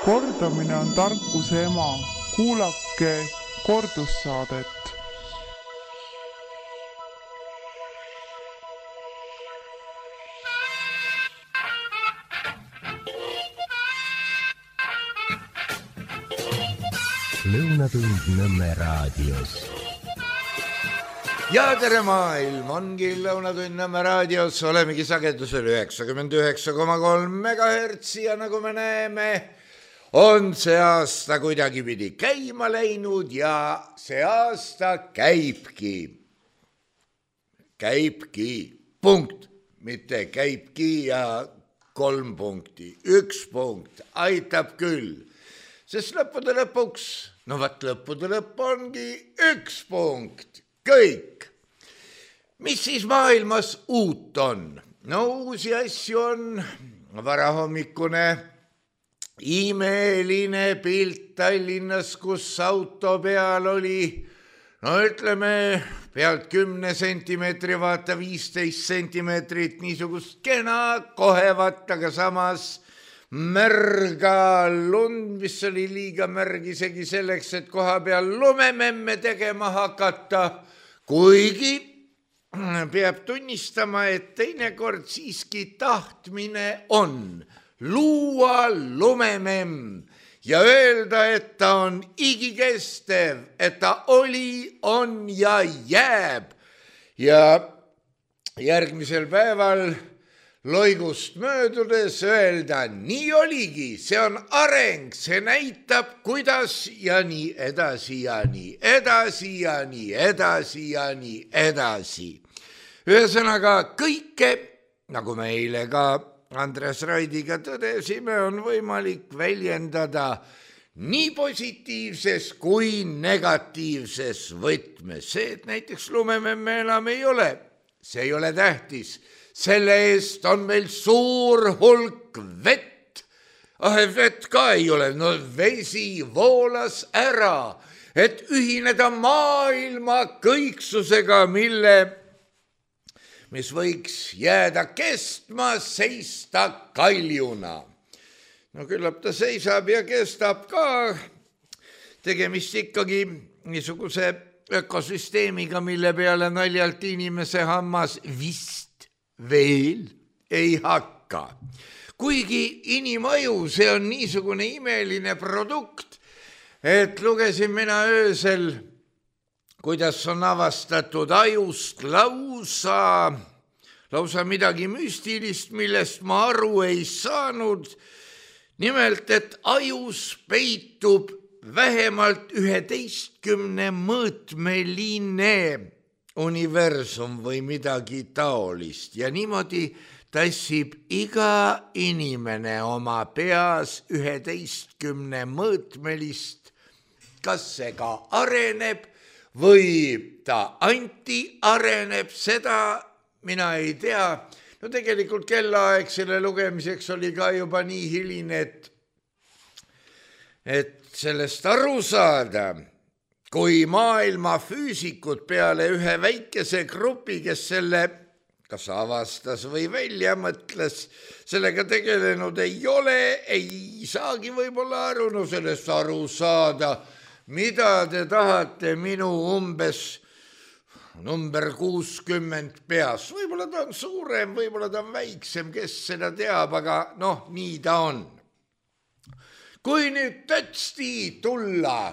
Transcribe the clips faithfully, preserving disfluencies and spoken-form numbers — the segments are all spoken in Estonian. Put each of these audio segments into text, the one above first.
Kordamine on tarkuse ema. Kuulake kordussaadet. Lõunatund Nõmme raadios. Ja tere maailm, ongi Lõunatund Nõmme raadios, olemegi sagedusel üheksakümmend üheksa koma kolm megahertsi ja nagu me näeme, on see aasta kuidagi pidi käima läinud ja see aasta käibki. Käibki, punkt, mitte käibki ja kolm punkti, üks punkt, aitab küll. Sest lõppude lõpuks, no vaat lõppude lõpp ongi üks punkt, kõik. Mis siis maailmas uut on? No uusi asju on varahommikune imeline pilt Tallinnas, kus auto peal oli, no ütleme, pealt kümne sentimeetri, vaata viisteist sentimeetrit, niisugust kena kohevat, aga samas märga lund, mis oli liiga märg isegi selleks, et koha peal lumememme tegema hakata, kuigi peab tunnistama, et teinekord siiski tahtmine on luua lumememm ja öelda, et ta on igikestev, et ta oli, on ja jääb. Ja järgmisel päeval loigust möödudes öelda, nii oligi, see on areng, see näitab, kuidas ja nii edasi ja nii edasi ja nii edasi ja nii edasi. Ühesõnaga kõike, nagu me eile ka Andres Raidiga tõdesime, on võimalik väljendada nii positiivses kui negatiivses võtmes. See, et näiteks lumememme enam ei ole, see ei ole tähtis. Selle eest on meil suur hulk vett. Ah, vett ka ei ole, no vesi voolas ära, et ühineda maailma kõiksusega, mille, mis võiks jääda kestma, seista kaljuna. No küllap ta seisab ja kestab ka. Tegemist ikkagi niisuguse ökosüsteemiga, mille peale naljalt inimese hammas vist veel ei hakka. Kuigi inimaju, see on niisugune imeline produkt, et lugesin mina öösel, kuidas on avastatud ajust lausa, lausa midagi müstilist, millest ma aru ei saanud. Nimelt, et ajus peitub vähemalt üheteistkümne mõõtmeline universum või midagi taolist ja niimoodi tassib iga inimene oma peas üheteistkümne mõõtmelist, kas see ka areneb või ta anti areneb, seda mina ei tea. No tegelikult kellaaeg selle lugemiseks oli ka juba nii hiline, et, et sellest aru saada, kui maailma füüsikud peale ühe väikese grupi, kes selle kas avastas või välja mõtles, sellega tegelenud ei ole, ei saagi võib-olla aru, no sellest aru saada, mida te tahate minu umbes number kuuskümmend peas. Võib-olla ta on suurem, võib-olla ta on väiksem, kes seda teab, aga noh, nii ta on. Kui nüüd tõtsti tulla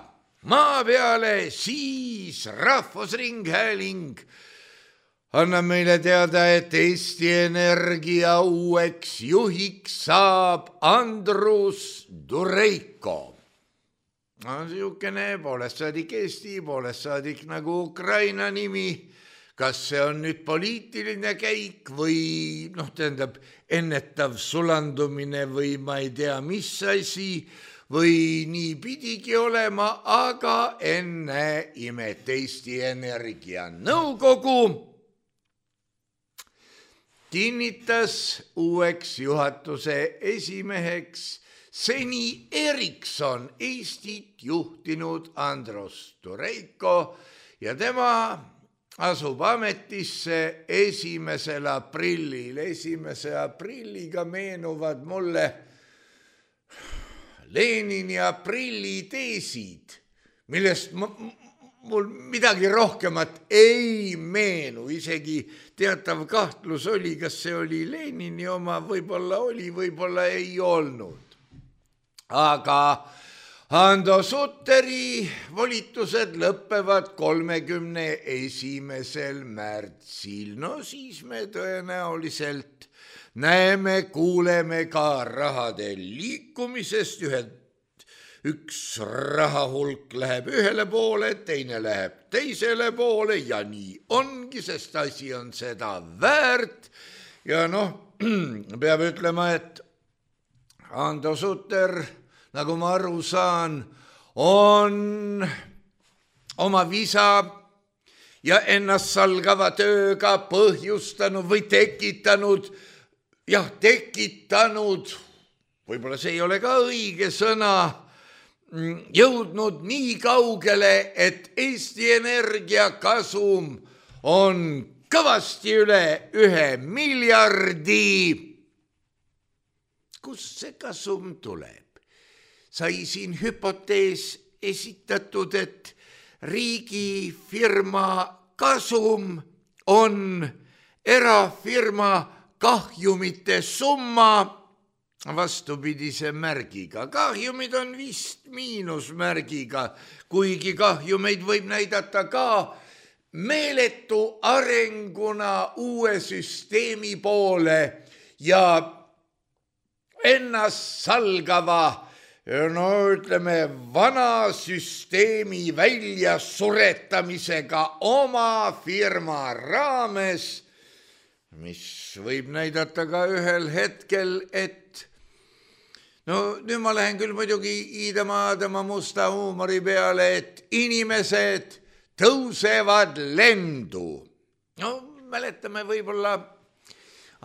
maa peale, siis Rahvusringhääling annab meile teada, et Eesti Energia uueks juhiks saab Andrus Dureiko. No, siukene poolest saadik Eesti, poolest saadik nagu Ukraina nimi. Kas see on nüüd poliitiline käik või noh, tähendab ennetav sulandumine või ma ei tea, mis asi või nii pidigi olema, aga enne imet Eesti Energia nõukogu kinnitas uueks juhatuse esimeheks seni Ericsson Eestit juhtinud Andrus Dureiko ja tema asub ametisse esimesel aprillil. Esimese aprilliga meenuvad mulle Lenini aprilliteesid, millest ma, mul midagi rohkemat ei meenu, isegi teatav kahtlus oli, kas see oli Lenini oma, võib-olla oli, võib-olla ei olnud. Aga Hando Sutteri volitused lõppevad kolmekümne esimesel märtsil. No siis me tõenäoliselt näeme, kuuleme ka rahade liikumisest. Ühed, üks rahahulk läheb ühele poole, teine läheb teisele poole ja nii ongi, sest asi on seda väärt. Ja noh, peab ütlema, et Hando Sutter, nagu ma aru saan, on oma visa ja ennast salgava tööga põhjustanud või tekitanud, jah, tekitanud, võib-olla see ei ole ka õige sõna, jõudnud nii kaugele, et Eesti Energia kasum on kõvasti üle ühe miljardi. Kust see kasum tuleb? Sai siin hüpotees esitatud, et riigifirma kasum on erafirma kahjumite summa vastupidise märgiga. Kahjumid on vist miinusmärgiga, kuigi kahjumeid võib näidata ka meeletu arenguna uue süsteemi poole ja ennast salgava, no ütleme, vana süsteemi välja suretamisega oma firma raames, mis võib näidata ka ühel hetkel, et no nüüd ma lähen küll muidugi iidama tema musta huumori peale, et inimesed tõusevad lendu. No mäletame võib-olla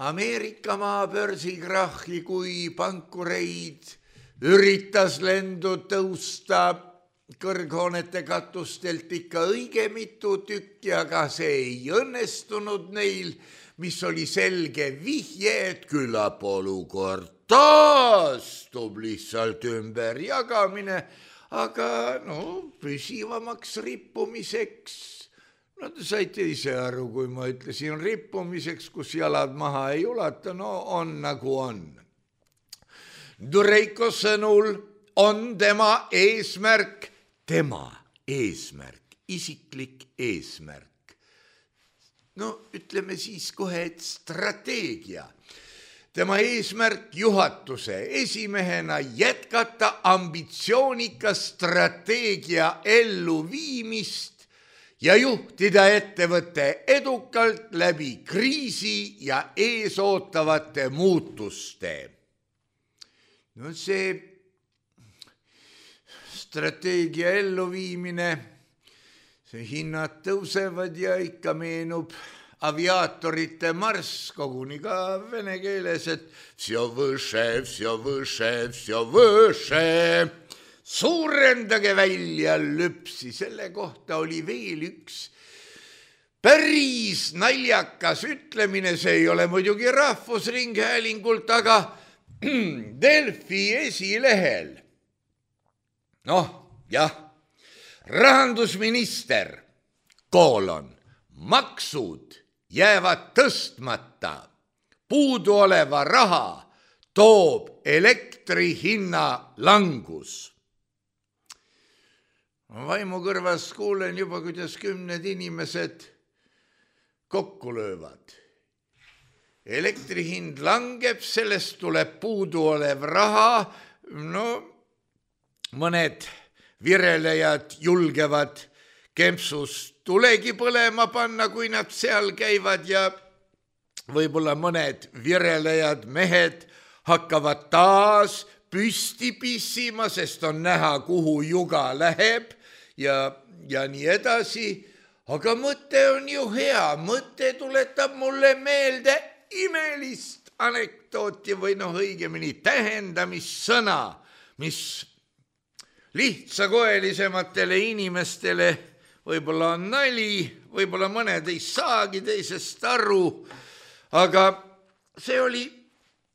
Ameerika maa börsikrahhi, kui pankureid üritas lendu tõusta kõrghoonete katustelt ikka õige mitu tükki, aga see ei õnnestunud neil, mis oli selge vihje, et küllap olukord taastub, lihtsalt ümberjagamine, aga no püsivamaks rippumiseks, no te saite ise aru, kui ma ütlesin rippumiseks, kus jalad maha ei ulata, no on nagu on. Dureiko sõnul on tema eesmärk, tema eesmärk, isiklik eesmärk. No ütleme siis kohe, et strateegia. Tema eesmärk juhatuse esimehena jätkata ambitsioonika strateegia elluviimist ja juhtida ettevõtte edukalt läbi kriisi ja eesootavate muutuste. No see strateegia elluviimine, see hinnad tõusevad ja ikka meenub aviaatorite marss, koguni ka vene keeles, et всё выше, всё выше, всё выше. Suurendage välja lüpsi, selle kohta oli veel üks päris naljakas ütlemine, see ei ole muidugi Rahvusringhäälingult, aga Delfi esilehel. Noh, jah, rahandusminister, koolon, maksud jäävad tõstmata, puuduoleva raha toob elektri hinna langus. Vaimukõrvas kuulen juba, kuidas kümned inimesed kokku löövad. Elektri hind langeb, sellest tuleb puuduolev raha, no mõned virelejad julgevad kempsus tulegi põlema panna, kui nad seal käivad ja võib-olla mõned virelejad mehed hakkavad taas püsti pissima, sest on näha, kuhu juga läheb ja, ja nii edasi. Aga mõte on ju hea, mõte tuletab mulle meelde imelist anekdooti või noh õigemini tähendamissõna, mis lihtsakoelisematele inimestele võib-olla on nali, võib-olla mõned ei saagi teisest aru, aga see oli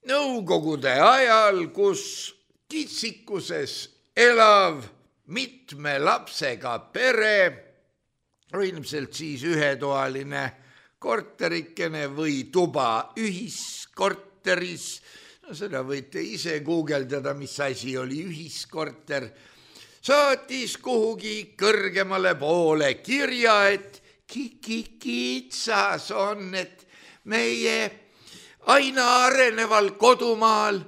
Nõukogude ajal, kus kitsikuses elav mitme lapsega pere, ilmselt siis ühetoaline korterikene või tuba ühiskorteris, no seda võite ise guugeldada, mis asi oli ühiskorter, saatis kuhugi kõrgemale poole kirja, et kitsas on, et meie aina areneval kodumaal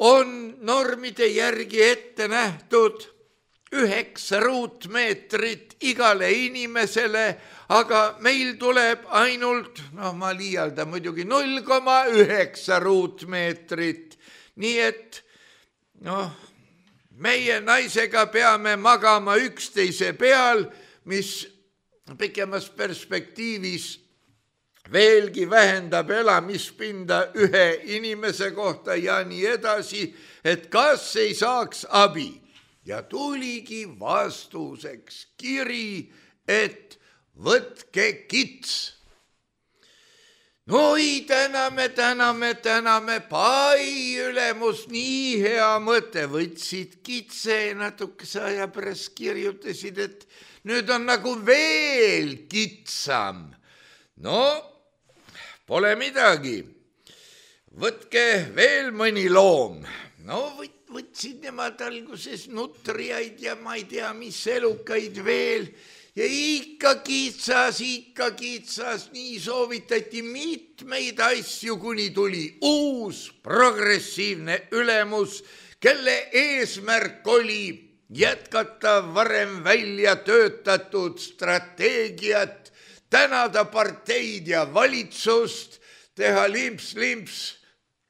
on normide järgi ette nähtud üheksa ruutmeetrit igale inimesele, aga meil tuleb ainult, noh ma liialdan muidugi, null koma üheksa ruutmeetrit. Nii et noh, meie naisega peame magama üksteise peal, mis pikemas perspektiivis veelgi vähendab elamispinda ühe inimese kohta ja nii edasi, et kas ei saaks abi. Ja tuligi vastuseks kiri, et võtke kits. No ei, täname, täname, täname, pai ülemus, nii hea mõte, võtsid kitse ja natukese aja pärast kirjutasid, et nüüd on nagu veel kitsam. No, pole midagi, võtke veel mõni loom. No võt, võtsid nemad alguses nutriaid ja ma ei tea, mis elukaid veel ja ikka kitsas, ikka kitsas, nii soovitati mitmeid asju, kuni tuli uus progressiivne ülemus, kelle eesmärk oli jätkata varem välja töötatud strateegiat, tänada parteid ja valitsust, teha limps-limps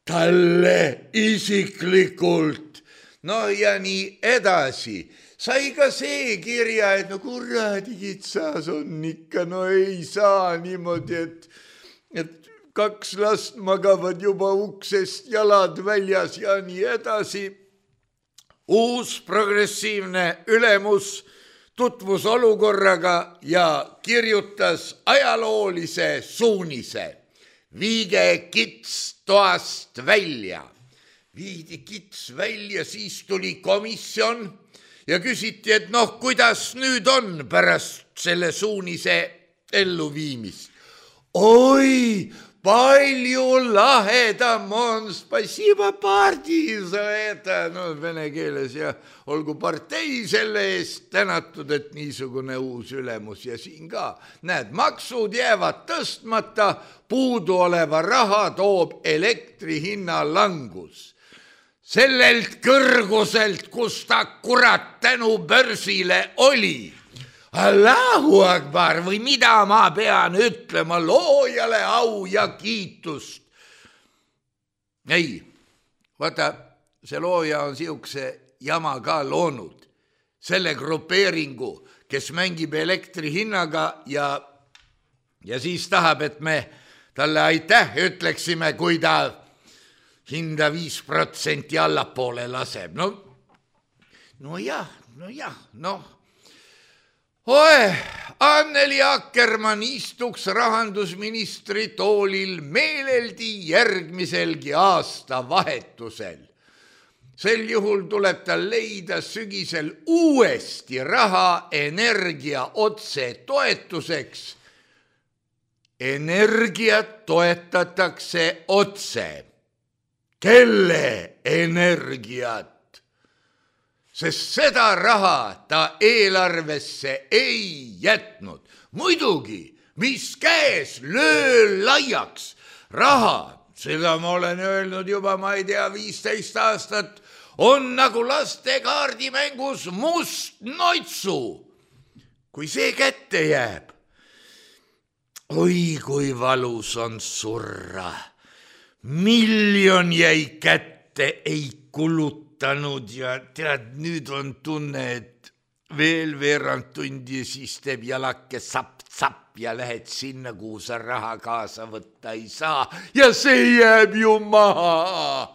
talle isiklikult, no ja nii edasi. Sai ka see kirja, et no kuradi kitsas on ikka, no ei saa niimoodi, et, et kaks last magavad juba uksest jalad väljas ja nii edasi. Uus progressiivne ülemus tutvus olukorraga ja kirjutas ajaloolise suunise. Viige kits toast välja. Viidi kits välja, siis tuli komisjon ja küsiti, et noh, kuidas nüüd on pärast selle suunise elluviimist. Oi, palju lahedam on, spasiba partii, no vene keeles ja olgu partei selle eest tänatud, et niisugune uus ülemus ja siin ka. Näed, maksud jäävad tõstmata, puudu oleva raha toob elektri hinna langus. Sellelt kõrguselt, kus ta kurat tänu börsile oli. Allahu akbar või mida ma pean ütlema, loojale au ja kiitust. Ei, vaata, see looja on siukse jama ka loonud. Selle grupeeringu, kes mängib elektri hinnaga ja, ja siis tahab, et me talle aitäh ütleksime, kui ta hinda viis protsenti allapoole laseb. No, no jah, no jah, noh. Oe, Anneli Akkermann istuks rahandusministri toolil meeleldi järgmiselgi aasta vahetusel. Sel juhul tuleb tal leida sügisel uuesti raha energia otse toetuseks. Energiat toetatakse otse. Kelle energiat? Sest seda raha ta eelarvesse ei jätnud. Muidugi, mis käes, löö laiaks. Raha, seda ma olen öelnud juba, ma ei tea, viisteist aastat, on nagu laste kaardimängus must noitsu. Kui see kätte jääb, oi kui valus on surra. Miljon jäi kätte, ei kulutanud ja tead, nüüd on tunne, et veel veerand tundi siis teeb jalake sapp-sapp ja lähed sinna, kuhu sa raha kaasa võtta ei saa ja see jääb ju maha.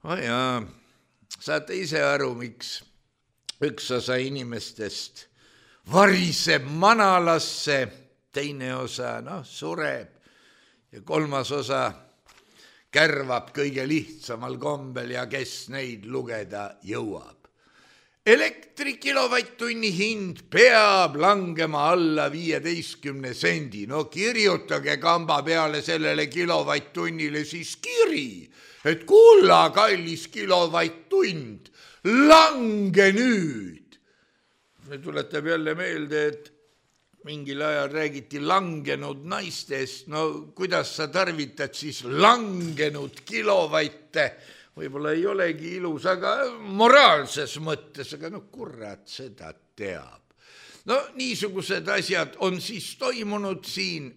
Oh jaa, saate ise aru, miks üks osa inimestest variseb manalasse, teine osa, noh, sureb ja kolmas osa kärvab kõige lihtsamal kombel ja kes neid lugeda jõuab. Elektri kilovatt-tunni hind peab langema alla viieteistkümne sendi. No kirjutage kamba peale sellele kilovatt-tunnile siis kiri, et kulla kallis kilovatt-tund, lange nüüd. Me tuletab jälle meelde, et mingil ajal räägiti langenud naistest. No kuidas sa tarvitad siis langenud kilovatte? Võib-olla ei olegi ilus, aga moraalses mõttes, aga no kurat seda teab. No niisugused asjad on siis toimunud siin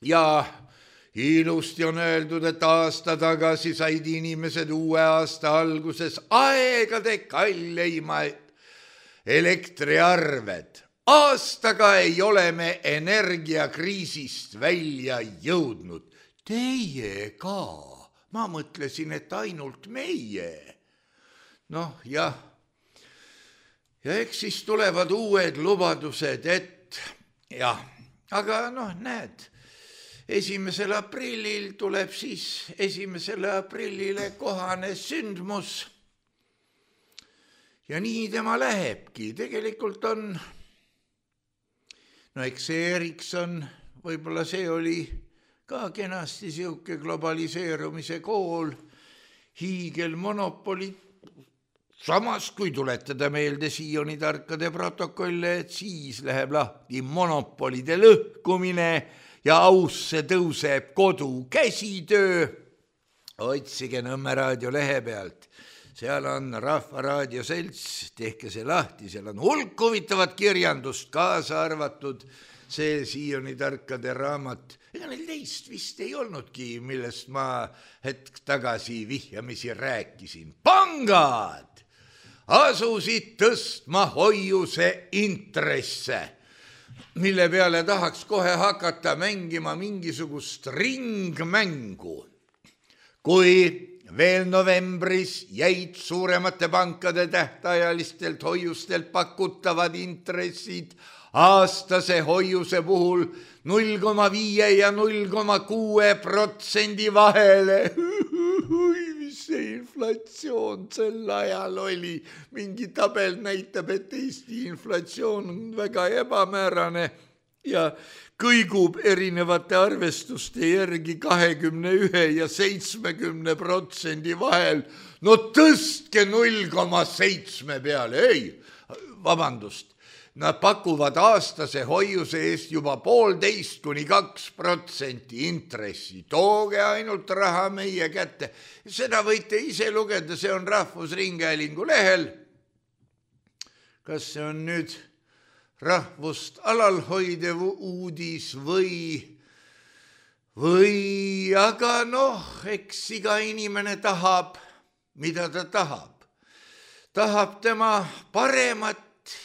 ja ilusti on öeldud, et aasta tagasi said inimesed uue aasta alguses aegade kalleimaid elektriarved. Aastaga ei ole me energiakriisist välja jõudnud. Teie ka. Ma mõtlesin, et ainult meie. Noh, jah. Ja eks siis tulevad uued lubadused, et jah, aga noh, näed, esimesel aprillil tuleb siis esimesele aprillile kohane sündmus. Ja nii tema lähebki. Tegelikult on, no eks see Ericsson, võib-olla see oli ka kenasti siuke globaliseerumise kool, hiigelmonopoli. Samas, kui tuletada meelde Sioni tarkade protokolle, et siis läheb lahti monopolide lõhkumine ja ausse tõuseb kodu käsitöö. Otsige Nõmme raadio lehe pealt. Seal on Rahvaraadio selts, tehke see lahti, seal on hulk huvitavat kirjandust kaasa arvatud. See Sioni tarkade raamat, ega neil teist vist ei olnudki, millest ma hetk tagasi vihjamisi rääkisin. Pangad asusid tõstma hoiuse intresse, mille peale tahaks kohe hakata mängima mingisugust ringmängu. Kui veel novembris jäid suuremate pankade tähtajalistelt hoiustelt pakutavad intressid aastase hoiuse puhul null koma viis ja null koma kuus protsendi vahele. Mis see inflatsioon sel ajal oli? Mingi tabel näitab, et Eesti inflatsioon on väga ebamäärane ja kõigub erinevate arvestuste järgi kahekümne ühe ja seitsmekümne protsendi vahel. No tõstke null koma seitse peale. Ei, vabandust. Nad pakuvad aastase hoiuse eest juba poolteist kuni kaks protsenti intressi. Tooge ainult raha meie kätte. Seda võite ise lugeda, see on Rahvusringhäälingu lehel. Kas see on nüüd rahvust alalhoidev uudis või, või, aga noh, eks iga inimene tahab, mida ta tahab. Tahab tema paremat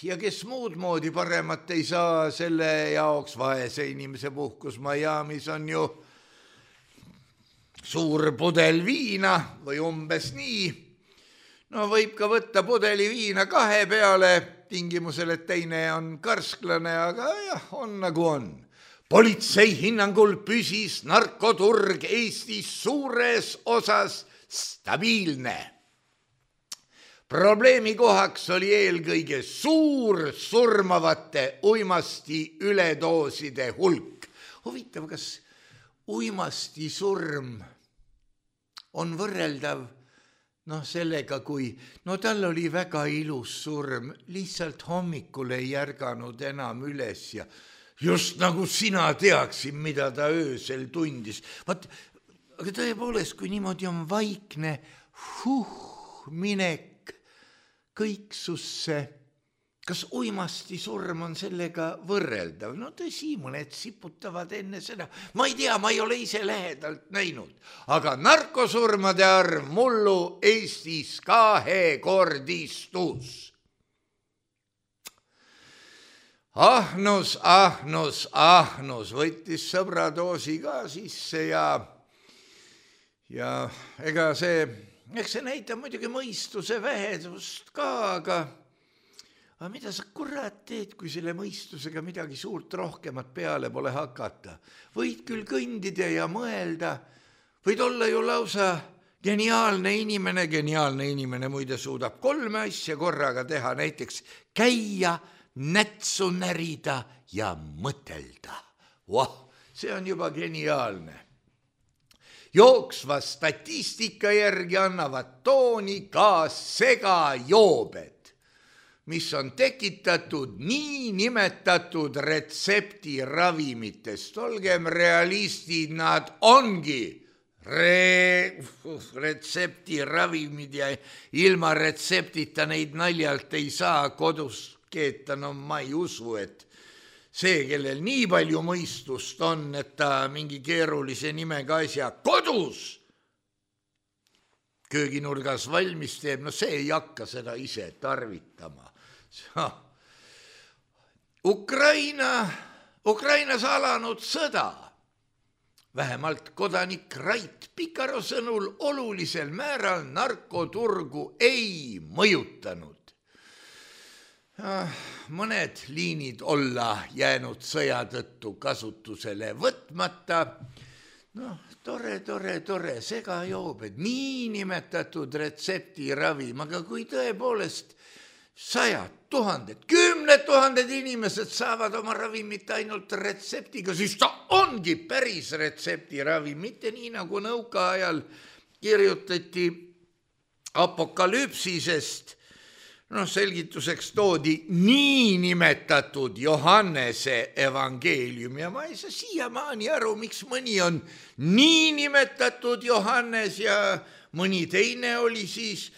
ja kes muud moodi paremat ei saa, selle jaoks vaese inimese puhkus Miamis on ju suur pudel viina või umbes nii. No võib ka võtta pudeli viina kahe peale, tingimusel, et teine on karsklane, aga jah, on nagu on. Politsei hinnangul püsis narkoturg Eestis suures osas stabiilne. Probleemi kohaks oli eelkõige suur surmavate uimasti üledooside hulk. Huvitav, kas uimasti surm on võrreldav noh, sellega, kui no tal oli väga ilus surm, lihtsalt hommikul ei järganud enam üles ja just nagu sina teaksid, mida ta öösel tundis. Vaat, aga tõepoolest, kui niimoodi on vaikne huh, minek kõiksusse, kas uimasti surm on sellega võrreldav? No tõsi, mõned siputavad enne seda. Ma ei tea, ma ei ole ise lähedalt näinud. Aga narkosurmade arv mullu Eestis kahekordistus. Ahnus, ahnus, ahnus võttis sõbradoosi ka sisse ja, ja ega see... Eks see näitab muidugi mõistuse vähedust ka, aga, aga mida sa kurat teed, kui selle mõistusega midagi suurt rohkemat peale pole hakata? Võid küll kõndida ja mõelda, võid olla ju lausa geniaalne inimene, geniaalne inimene muide suudab kolme asja korraga teha, näiteks käia, nätsu närida ja mõtelda. Vah, see on juba geniaalne. Jooksva statistika järgi annavad tooni ka segajoobed, mis on tekitatud nii nimetatud retseptiravimitest. Olgem realistid, nad ongi Re... retseptiravimid ja ilma retseptita neid naljalt ei saa kodus keeta. No ma ei usu, et see, kellel nii palju mõistust on, et ta mingi keerulise nimega asja kodus kööginurgas valmis teeb, no see ei hakka seda ise tarvitama. Ukraina, Ukrainas alanud sõda. Vähemalt kodanik Rait Pikaro sõnul olulisel määral narkoturgu ei mõjutanud. Mõned liinid olla jäänud sõja tõttu kasutusele võtmata. No, tore, tore, tore, segajoobed, niinimetatud retseptiravim, aga kui tõepoolest sajad, tuhanded, kümned tuhanded inimesed saavad oma ravimit ainult retseptiga, siis ta ongi päris retseptiravim, mitte nii nagu nõukaajal kirjutati apokalüpsisest. No selgituseks toodi niinimetatud Johannese evangeelium ja ma ei saa siiamaani aru, miks mõni on niinimetatud Johannes ja mõni teine oli siis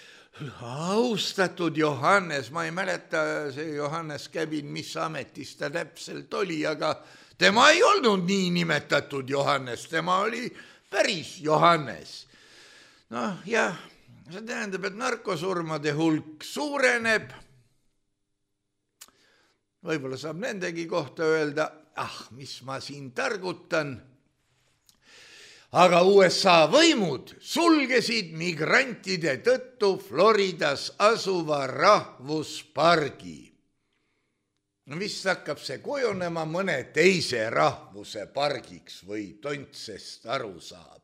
austatud Johannes. Ma ei mäleta see Johannes Käbin, mis ametis ta täpselt oli, aga tema ei olnud niinimetatud Johannes, tema oli päris Johannes. Noh, jah. See tähendab, et narkosurmade hulk suureneb. Võib-olla saab nendegi kohta öelda, ah, mis ma siin targutan. Aga U S A võimud sulgesid migrantide tõttu Floridas asuva rahvuspargi. No vist hakkab see kujunema mõne teise rahvuse pargiks või tontsest aru saab.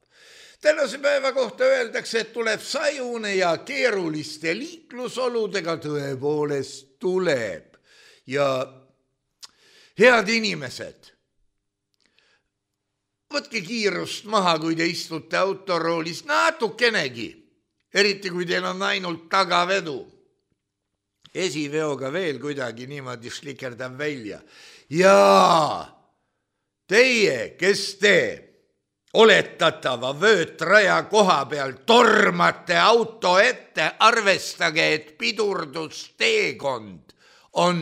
Tänase päeva kohta öeldakse, et tuleb sajune ja keeruliste liiklusoludega, tõepoolest tuleb. Ja head inimesed, võtke kiirust maha, kui te istute autoroolis natukenegi, eriti kui teil on ainult tagavedu. Esiveoga veel kuidagi niimoodi slikerdab välja. Ja teie, kes te oletatava vöötraja koha peal tormate auto ette, arvestage, et pidurdusteekond on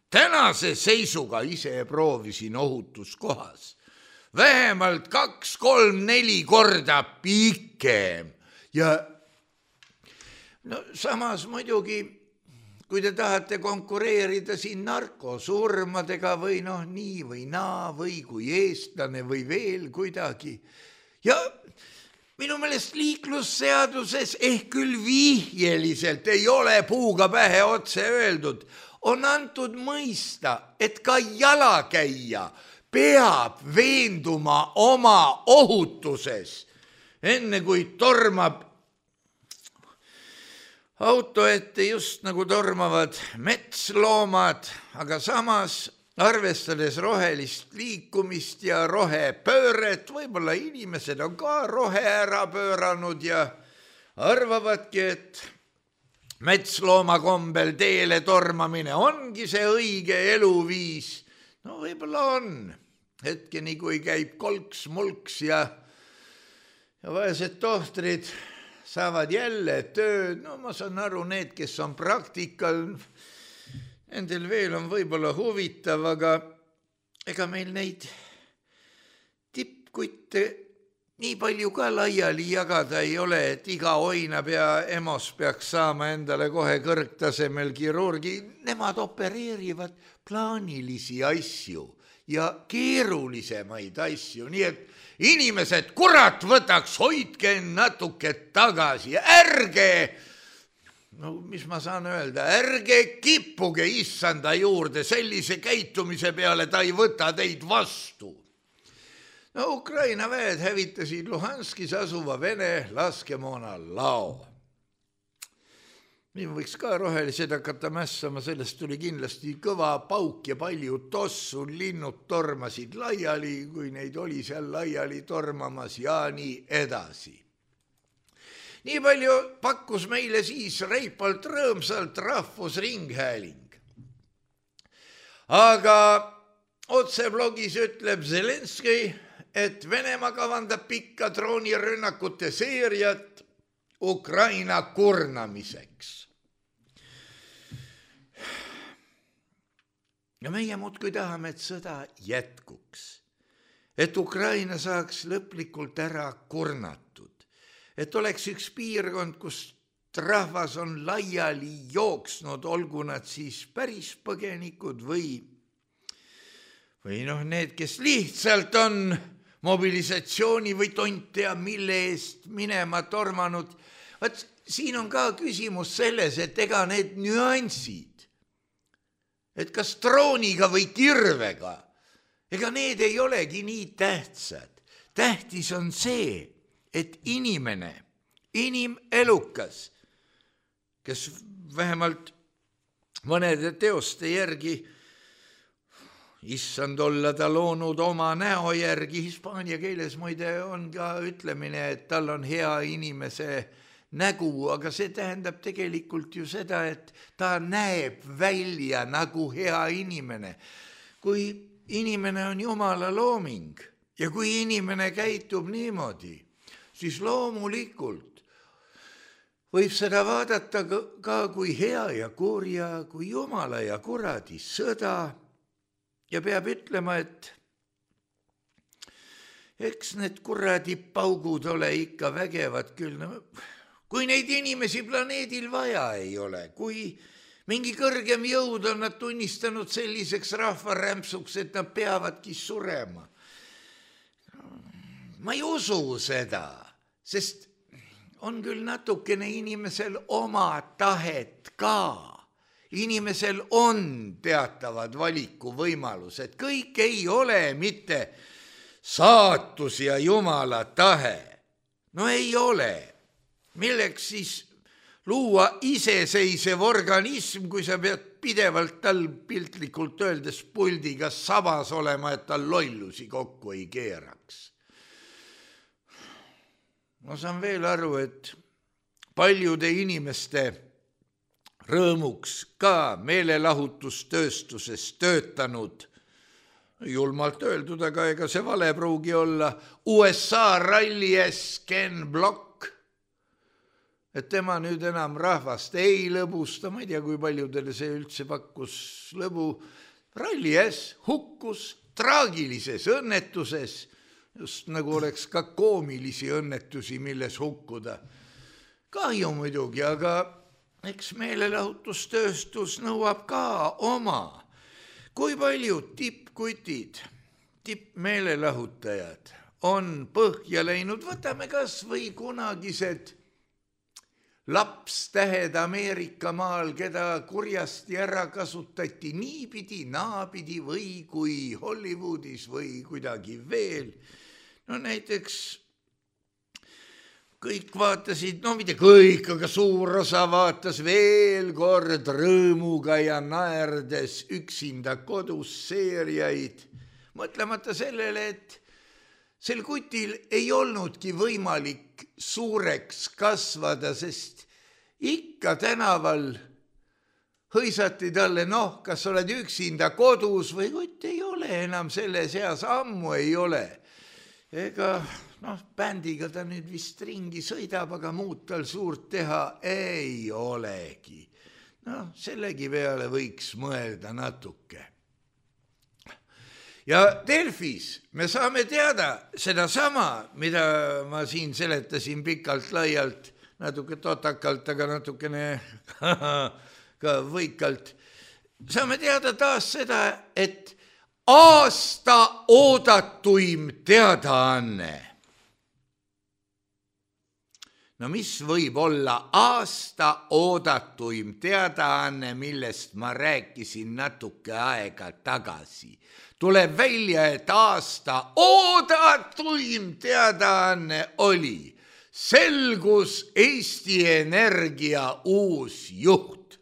tänase seisuga, ise proovisin ohutuskohas, vähemalt kaks, kolm, neli korda pikem. Ja no samas muidugi, kui te tahate konkureerida siin narkosurmadega või noh nii või naa või kui eestlane või veel kuidagi. Ja minu meelest liiklusseaduses ehk küll vihjeliselt ei ole puuga pähe otse öeldud, on antud mõista, et ka jalakäija peab veenduma oma ohutuses, enne kui tormab auto ette, just nagu tormavad metsloomad, aga samas arvestades rohelist liikumist ja rohepööret, võib-olla inimesed on ka rohe ära pööranud ja arvavadki, et metslooma kombel teele tormamine ongi see õige eluviis. No võib-olla on hetkeni, kui käib kolks-mulks ja, ja vaesed tohtrid saavad jälle tööd. No ma saan aru, need, kes on praktikal, nendel veel on võib-olla huvitav, aga ega meil neid tippkutte nii palju ka laiali jagada ei ole, et iga oinab ja emos peaks saama endale kohe kõrgtasemel kirurgi. Nemad opereerivad plaanilisi asju ja keerulisemaid asju, nii et inimesed, kurat võtaks, hoidke natuke tagasi ja ärge, no mis ma saan öelda, ärge kippuge issanda juurde, sellise käitumise peale ta ei võta teid vastu. No Ukraina väed hävitasid Luhanskis asuva Vene laskemoona lao. Nii võiks ka rohelised hakata mässama, sellest tuli kindlasti kõva pauk ja palju tossu, linnud tormasid laiali, kui neid oli seal laiali tormamas ja nii edasi. Nii palju pakkus meile siis reipalt rõõmsalt rahvusringhääling. Aga otseblogis ütleb Zelenski, et Venemaa kavandab pikka droonirünnakute seeriat Ukraina kurnamiseks. Ja meie muudkui tahame, et sõda jätkuks, et Ukraina saaks lõplikult ära kurnatud, et oleks üks piirkond, kus rahvas on laiali jooksnud, olgu nad siis päris põgenikud või, või noh, need, kes lihtsalt on mobilisatsiooni või tontea, mille eest minema tormanud. Vaat siin on ka küsimus selles, et ega need nüansid, et kas drooniga või kirvega, ega need ei olegi nii tähtsad. Tähtis on see, et inimene, inimelukas, kes vähemalt mõnede teoste järgi, issand olla ta loonud oma näo järgi, hispaania keeles muide on ka ütlemine, et tal on hea inimese nägu, aga see tähendab tegelikult ju seda, et ta näeb välja nagu hea inimene. Kui inimene on Jumala looming ja kui inimene käitub niimoodi, siis loomulikult võib seda vaadata ka kui hea ja kurja, kui Jumala ja kuradi sõda ja peab ütlema, et eks need kuradi paugud ole ikka vägevad küll. No, kui neid inimesi planeedil vaja ei ole, kui mingi kõrgem jõud on nad tunnistanud selliseks rahvarämpsuks, et nad peavadki surema. Ma ei usu seda, sest on küll natukene inimesel oma tahet ka. Inimesel on teatavad valikuvõimalused. Kõik ei ole mitte saatus ja Jumala tahe. No ei ole. Milleks siis luua iseseisev organism, kui sa pead pidevalt tal piltlikult öeldes puldiga sabas olema, et tal lollusi kokku ei keeraks. Ma saan veel aru, et paljude inimeste rõõmuks ka meelelahutustööstuses töötanud, julmalt öeldud, aga ega see vale pruugi olla, U S A rallies Ken Block, et tema nüüd enam rahvast ei lõbusta, ma ei tea, kui paljudele see üldse pakkus lõbu, rallies hukkus traagilises õnnetuses, just nagu oleks ka koomilisi õnnetusi, milles hukkuda. Kahju muidugi, aga eks meelelahutustööstus nõuab ka oma. Kui paljud tippkutid, tippmeelelahutajad on põhja läinud, võtame kas või kunagised lapstähed Ameerika maal, keda kurjasti ära kasutati niipidi, naapidi või kui Hollywoodis või kuidagi veel. No näiteks kõik vaatasid, no mitte kõik, aga suur osa vaatas veel kord rõõmuga ja naerdes üksinda kodus seeriaid, mõtlemata sellele, et sel kutil ei olnudki võimalik suureks kasvada, sest ikka tänaval hõisati talle, noh, kas oled üksinda kodus või kutt ei ole enam selle seas, ammu ei ole. Ega, noh, bändiga ta nüüd vist ringi sõidab, aga muud tal suurt teha ei olegi. Noh, sellegi peale võiks mõelda natuke. Ja Delfis me saame teada seda sama, mida ma siin seletasin pikalt laialt, natuke totakalt, aga natukene ka võikalt. Saame teada taas seda, et aasta oodatuim teadaanne. no mis võib olla aasta oodatuim teadaanne, millest ma rääkisin natuke aega tagasi. Tuleb välja, et aasta oodatuim teadaanne oli. Selgus Eesti Energia uus juht.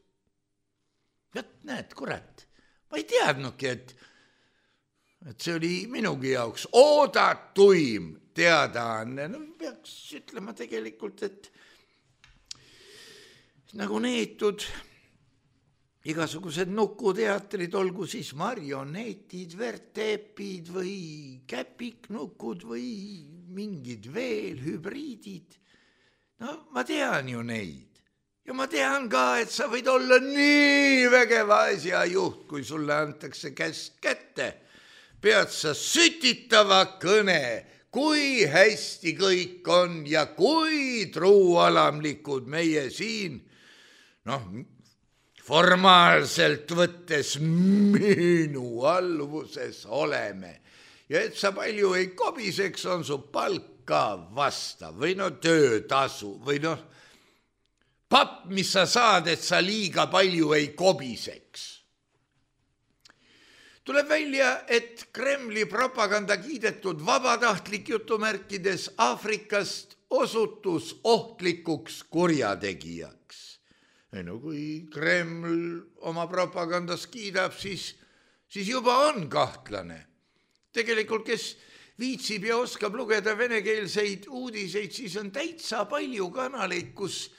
Jät, näed, kurat, ma ei teadnudki, et, et see oli minugi jaoks oodatuim teadaanne. No peaks ütlema tegelikult, et nagu neetud igasugused nukuteatrid, olgu siis marionetid, vertepid või käpiknukud või mingid veel hübriidid. No ma tean ju neid. Ja ma tean ka, et sa võid olla nii vägeva asja juht, kui sulle antakse käsk kätte. Pead sa sütitava kõne, kui hästi kõik on ja kui truualamlikud meie siin, noh, formaalselt võttes minu alluvuses oleme. Ja et sa palju ei kobiseks, on su palk ka vastav või no töötasu või noh, papp, mis sa saad, et sa liiga palju ei kobiseks. Tuleb välja, et Kremli propaganda kiidetud vabatahtlik jutumärkides Aafrikast osutus ohtlikuks kurjategijaks. No kui Kreml oma propagandas kiidab, siis, siis juba on kahtlane. Tegelikult, kes viitsib ja oskab lugeda venekeelseid uudiseid, siis on täitsa palju kanaleid, kus,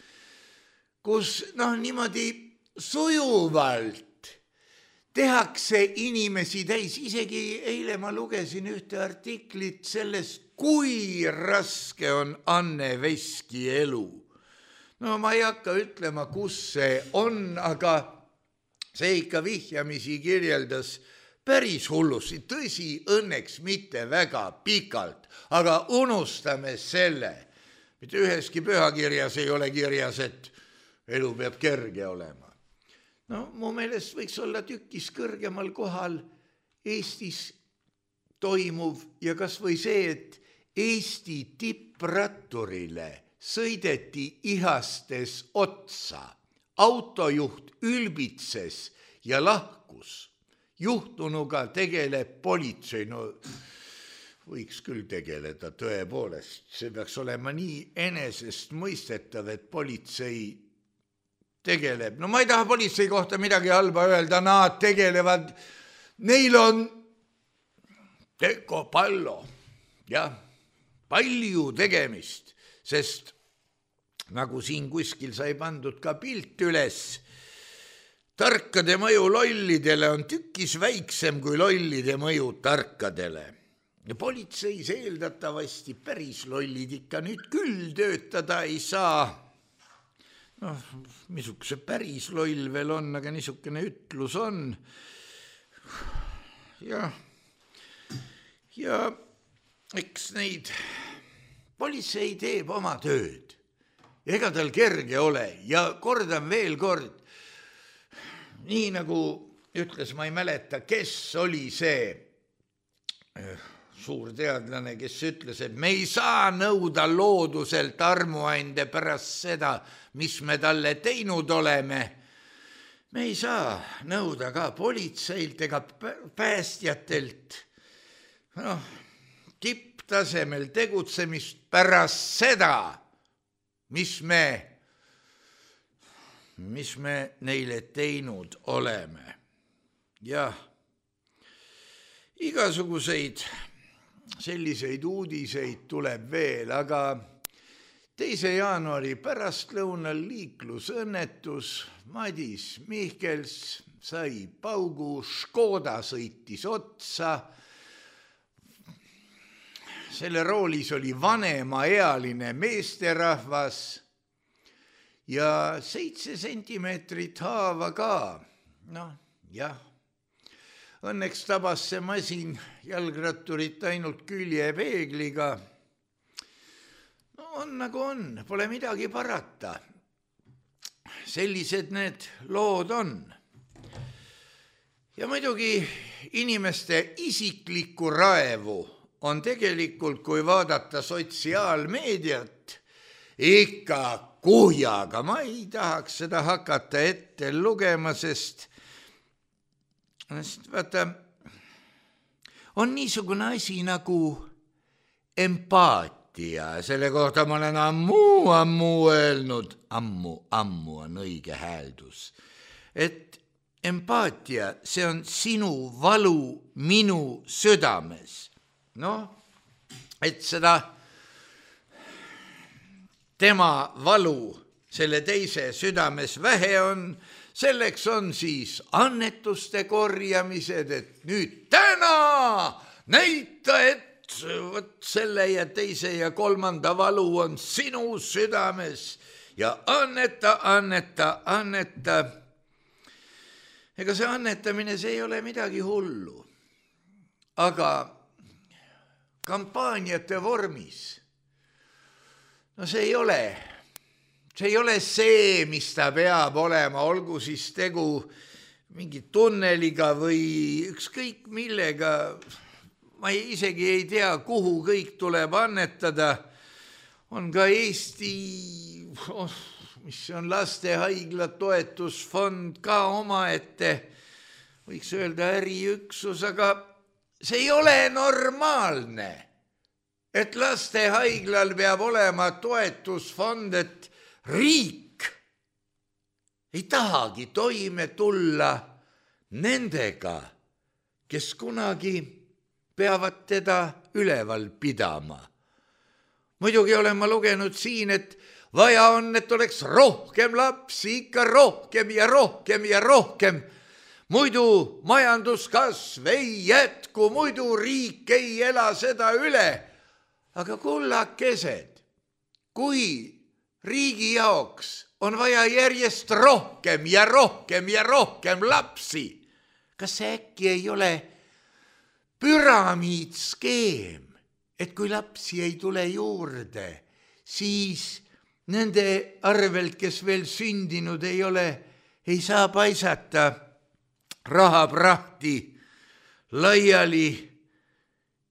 kus noh, niimoodi sujuvalt tehakse inimesi täis. Isegi eile ma lugesin ühte artiklit sellest, kui raske on Anne Veski elu. No ma ei hakka ütlema, kus see on, aga see ikka vihjamisi kirjeldas päris hullusi. Tõsi, õnneks mitte väga pikalt, aga unustame selle. Mitte üheski pühakirjas ei ole kirjas, et elu peab kerge olema. No mu meelest võiks olla tükis kõrgemal kohal Eestis toimuv ja kas või see, et Eesti tippratturile sõideti ihastes otsa, autojuht ülbitses ja lahkus. Juhtunuga tegeleb politsei, no võiks küll tegeleda tõepoolest. See peaks olema nii enesest mõistetav, et politsei tegeleb. No ma ei taha politsei kohta midagi halba öelda, nad tegelevad, neil on teko pallo, jah, palju tegemist, sest nagu siin kuskil sai pandud ka pilt üles, tarkade mõju lollidele on tükis väiksem kui lollide mõju tarkadele. Ja politseis eeldatavasti päris lollid ikka nüüd küll töötada ei saa. Noh, missuguse päris loll veel on, aga niisugune ütlus on. Ja, ja eks neid politsei teeb oma tööd. Ega tal kerge ole ja kordan veel kord, nii nagu ütles, ma ei mäleta, kes oli see suur teadlane, kes ütles, et me ei saa nõuda looduselt armuande pärast seda, mis me talle teinud oleme. Me ei saa nõuda ka politseilt ega päästjatelt no, tipptasemel tegutsemist pärast seda, mis me mis me neile teinud oleme. Jah, igasuguseid selliseid uudiseid tuleb veel, aga teise jaanuari pärastlõunal liiklusõnnetus, Madis Mihkels sai paugu, Škoda sõitis otsa. Selle roolis oli vanemaealine meesterahvas, ja seitse sentimeetrit haava ka. Noh, jah. Õnneks tabas see masin jalgratturit ainult küljepeegliga. No on nagu on, pole midagi parata. Sellised need lood on. Ja muidugi inimeste isiklikku raevu on tegelikult, kui vaadata sotsiaalmeediat, ikka kuhjaga. Ma ei tahaks seda hakata ette lugema, sest, sest vaata, on niisugune asi nagu empaatia. Selle kohta ma olen ammu, ammu öelnud, ammu, ammu on õige hääldus, et empaatia, see on sinu valu minu südames. Noh, et seda tema valu selle teise südames vähe on, selleks on siis annetuste korjamised, et nüüd täna näita, et võt selle ja teise ja kolmanda valu on sinu südames ja anneta, anneta, anneta. Ega see annetamine, see ei ole midagi hullu, aga kampaaniate vormis, no see ei ole, see ei ole see, mis ta peab olema, olgu siis tegu mingi tunneliga või ükskõik millega. Ma ei, isegi ei tea, kuhu kõik tuleb annetada. On ka Eesti, oh, mis on lastehaigla toetusfond ka omaette, võiks öelda äriüksus, aga see ei ole normaalne, et lastehaiglal peab olema toetusfond, et riik ei tahagi toime tulla nendega, kes kunagi peavad teda üleval pidama. Muidugi olen ma lugenud siin, et vaja on, et oleks rohkem lapsi, ikka rohkem ja rohkem ja rohkem. Muidu majanduskasv ei jätku, muidu riik ei ela seda üle. Aga kullakesed, kui riigi jaoks on vaja järjest rohkem ja rohkem ja rohkem lapsi, kas see äkki ei ole püramiidskeem, et kui lapsi ei tule juurde, siis nende arvelt, kes veel sündinud ei ole, ei saa paisata rahaprahti laiali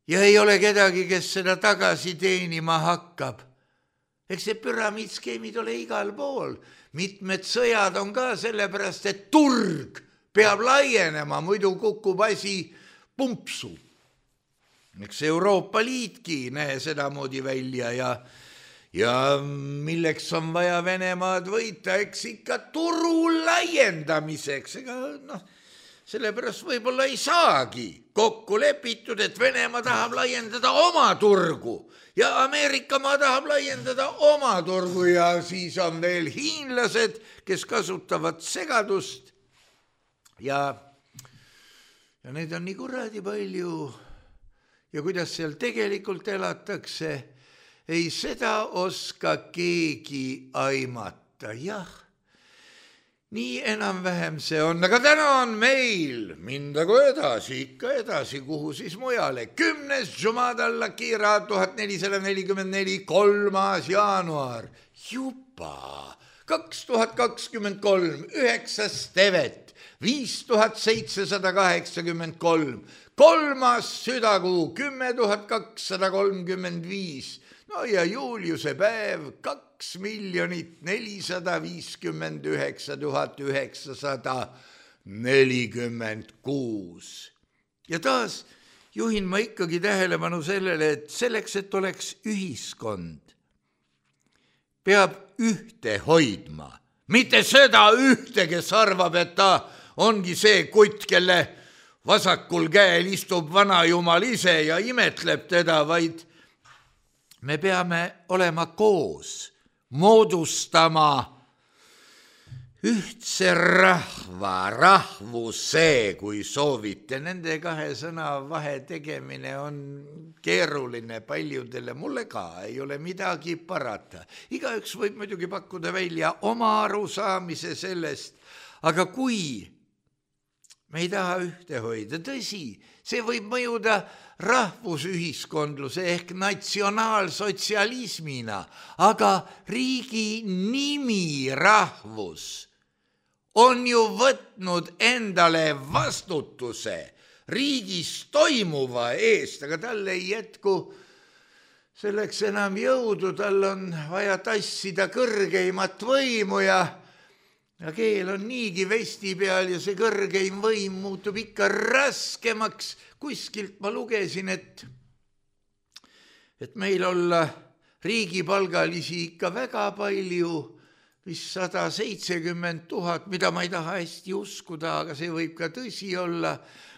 ja ei ole kedagi, kes seda tagasi teenima hakkab. Eks see püramiidskeemid ole igal pool. Mitmed sõjad on ka sellepärast, et turg peab laienema, muidu kukub asi pumpsu. Eks Euroopa Liitki näe sedamoodi välja ja, ja milleks on vaja Venemaad võita, eks ikka turu laiendamiseks. Ega noh, sellepärast võib-olla ei saagi kokku lepitud, et Venemaa tahab laiendada oma turgu ja Ameerikamaa tahab laiendada oma turgu ja siis on veel hiinlased, kes kasutavad segadust ja, ja neid on nii kuradi palju ja kuidas seal tegelikult elatakse, ei seda oska keegi aimata, jah. Nii enam-vähem see on, aga täna on meil mindagu edasi, ikka edasi, kuhu siis mujale. Kümnes Jumadal Kira tuhat nelisada nelikümmend neli, kolmas jaanuar, juba kaks tuhat kakskümmend kolm, üheksas tevet, viis tuhat seitsesada kaheksakümmend kolm, kolmas südakuu, kümme tuhat kakssada kolmkümmend viis, no ja Juliuse päev, kaks miljonit nelisada viiskümmend üheksa tuhat üheksasada nelikümmend kuus. Ja taas juhin ma ikkagi tähelepanu sellele, et selleks, et oleks ühiskond, peab ühte hoidma. Mitte seda ühte, kes arvab, et ta ongi see kutt, kelle vasakul käel istub vanajumal ise ja imetleb teda, vaid me peame olema koos, moodustama ühtse rahva, rahvuse, kui soovite. Nende kahe sõna vahe tegemine on keeruline paljudele, mulle ka ei ole midagi parata. Igaüks võib muidugi pakkuda välja oma arusaamise sellest, aga kui me ei taha ühte hoida, tõsi, see võib mõjuda rahvusühiskondluse ehk natsionaalsotsialismina, aga riigi nimi rahvus on ju võtnud endale vastutuse riigis toimuva eest, aga talle ei jätku selleks enam jõudu, tal on vaja tassida kõrgeimat võimu ja, ja keel on niigi vesti peal ja see kõrgeim võim muutub ikka raskemaks. Kuskilt ma lugesin, et, et meil olla riigipalgalisi ikka väga palju, vist sada seitsekümmend tuhat, mida ma ei taha hästi uskuda, aga see võib ka tõsi olla,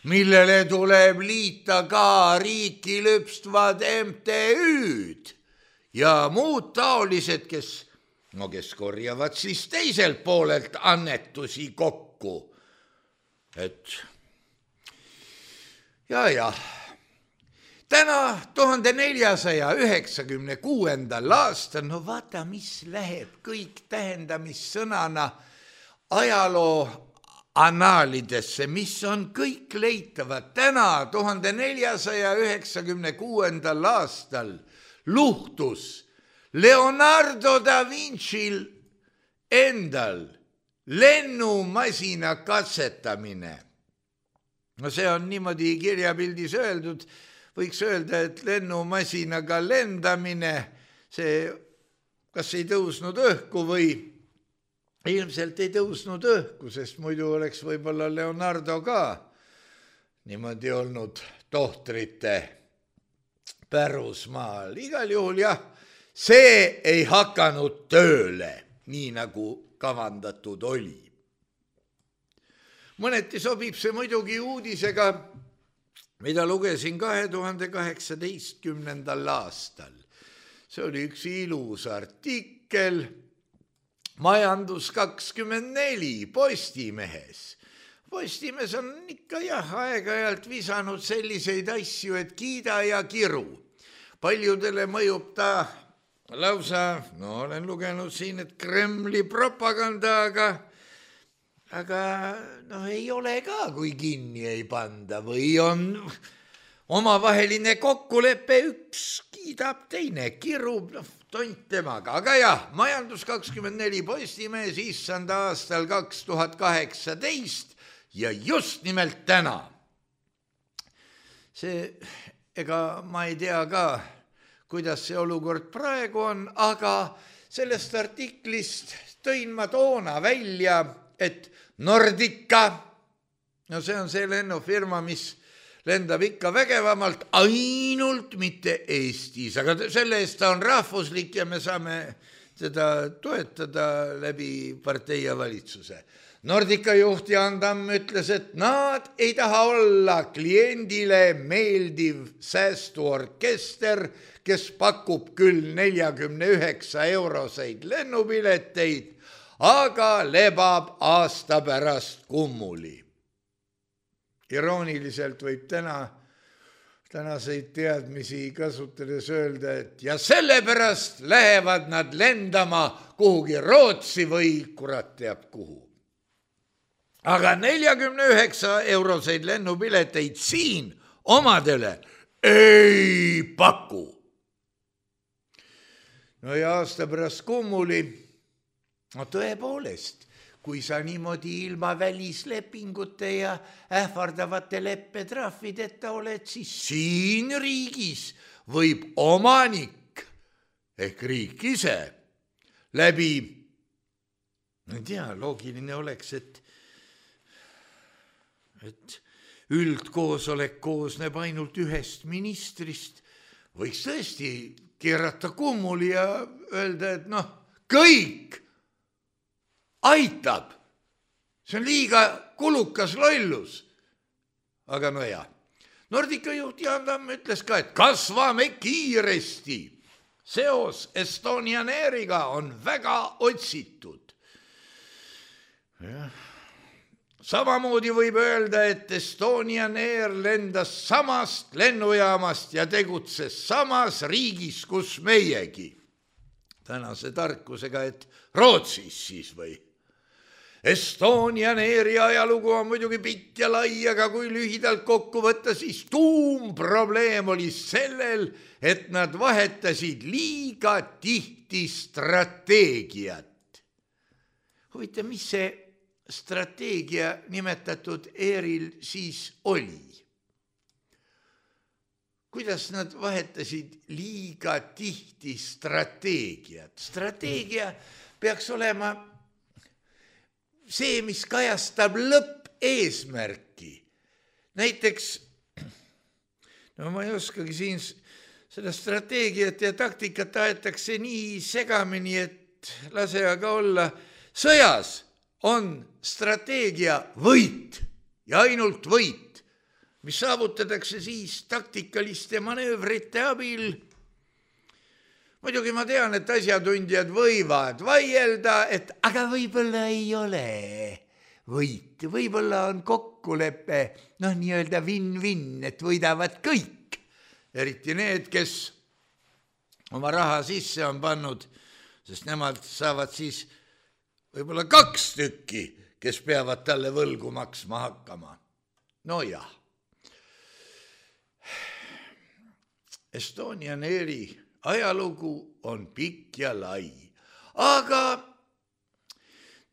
millele tuleb liita ka riiki lüpstvad M T Ü-d ja muud taolised, kes, no kes korjavad siis teiselt poolelt annetusi kokku. Et ja, ja. Täna tuhande neljasaja üheksakümne kuuendal aastal, no vaata, mis läheb kõik tähendamissõnana ajaloo annaalidesse, mis on kõik leitavad. Täna tuhande neljasaja üheksakümne kuuendal aastal luhtus Leonardo da Vinci'l endal lennumasina katsetamine. No see on niimoodi kirjapildis öeldud, võiks öelda, et lennumasinaga lendamine, see kas ei tõusnud õhku või ilmselt ei tõusnud õhku, sest muidu oleks võib-olla Leonardo ka niimoodi olnud tohtrite pärusmaal. Igal juhul jah, see ei hakanud tööle, nii nagu kavandatud oli. Mõneti sobib see muidugi uudisega, mida lugesin kahe tuhande kaheksateistkümnendal aastal. See oli üks ilus artikkel Majandus kakskümmend neli Postimehes. Postimees on ikka jah aeg-ajalt visanud selliseid asju, et kiida ja kiru. Paljudele mõjub ta lausa, no olen lugenud siin, et Kremli propaganda, aga aga noh, ei ole ka, kui kinni ei panda või on omavaheline kokkulepe, üks kiidab, teine kirub, noh, tont temaga. Aga jah, Majandus kakskümmend neli Postimees issanda aastal kaks tuhat kaheksateist ja just nimelt täna. See, ega ma ei tea ka, kuidas see olukord praegu on, aga sellest artiklist tõin ma toona välja, et Nordica, no see on see lennufirma, mis lendab ikka vägevamalt, ainult mitte Eestis, aga selle eest ta on rahvuslik ja me saame seda toetada läbi partei ja valitsuse. Nordica juht Jaan Tamm ütles, et nad ei taha olla kliendile meeldiv säästuorkester, kes pakub küll neljakümne üheksa euroseid lennupileteid, aga lebab aasta pärast kummuli. Irooniliselt võib täna, tänaseid teadmisi kasutades öelda, et ja sellepärast lähevad nad lendama kuhugi Rootsi või kurat teab kuhu. Aga neljakümne üheksa euroseid lennupileteid siin omadele ei paku. No ja aasta pärast kummuli, no tõepoolest, kui sa niimoodi ilma välislepingute ja ähvardavate leppetrahvideta oled, siis siin riigis võib omanik ehk riik ise läbi, ma ei tea, loogiline oleks, et, et üldkoosolek koosneb ainult ühest ministrist, võiks tõesti keerata kummuli ja öelda, et noh, kõik aitab. See on liiga kulukas lollus. Aga no jah. Nordica juht Jaan Tamm ütles ka, et kasvame kiiresti. Seos Estonian Airiga on väga otsitud. Ja. Samamoodi võib öelda, et Estonian Air lendas samast lennujaamast ja tegutses samas riigis, kus meiegi. Tänase tarkusega, et Rootsis siis või. Estonian Airi ajalugu on muidugi pikk ja lai, aga kui lühidalt kokku võtta, siis tuumprobleem oli sellel, et nad vahetasid liiga tihti strateegiat. Huvitav, mis see strateegia nimetatud Airil siis oli? kuidas nad vahetasid liiga tihti strateegiat. Strateegia peaks olema see, mis kajastab lõppeesmärki. Näiteks, no ma ei oskagi siin seda strateegiat ja taktikat aetakse nii segamini, et lase aga olla. Sõjas on strateegia võit ja ainult võit, mis saavutatakse siis taktikaliste manöövrite abil. Muidugi ma tean, et asjatundjad võivad vaielda, et aga võib-olla ei ole võit. Võib-olla on kokkulepe, noh nii-öelda win-win, et võidavad kõik. Eriti need, kes oma raha sisse on pannud, sest nemad saavad siis võib-olla kaks tükki, kes peavad talle võlgu maksma hakkama. No jah. Estonian Airi ajalugu on pikk ja lai, aga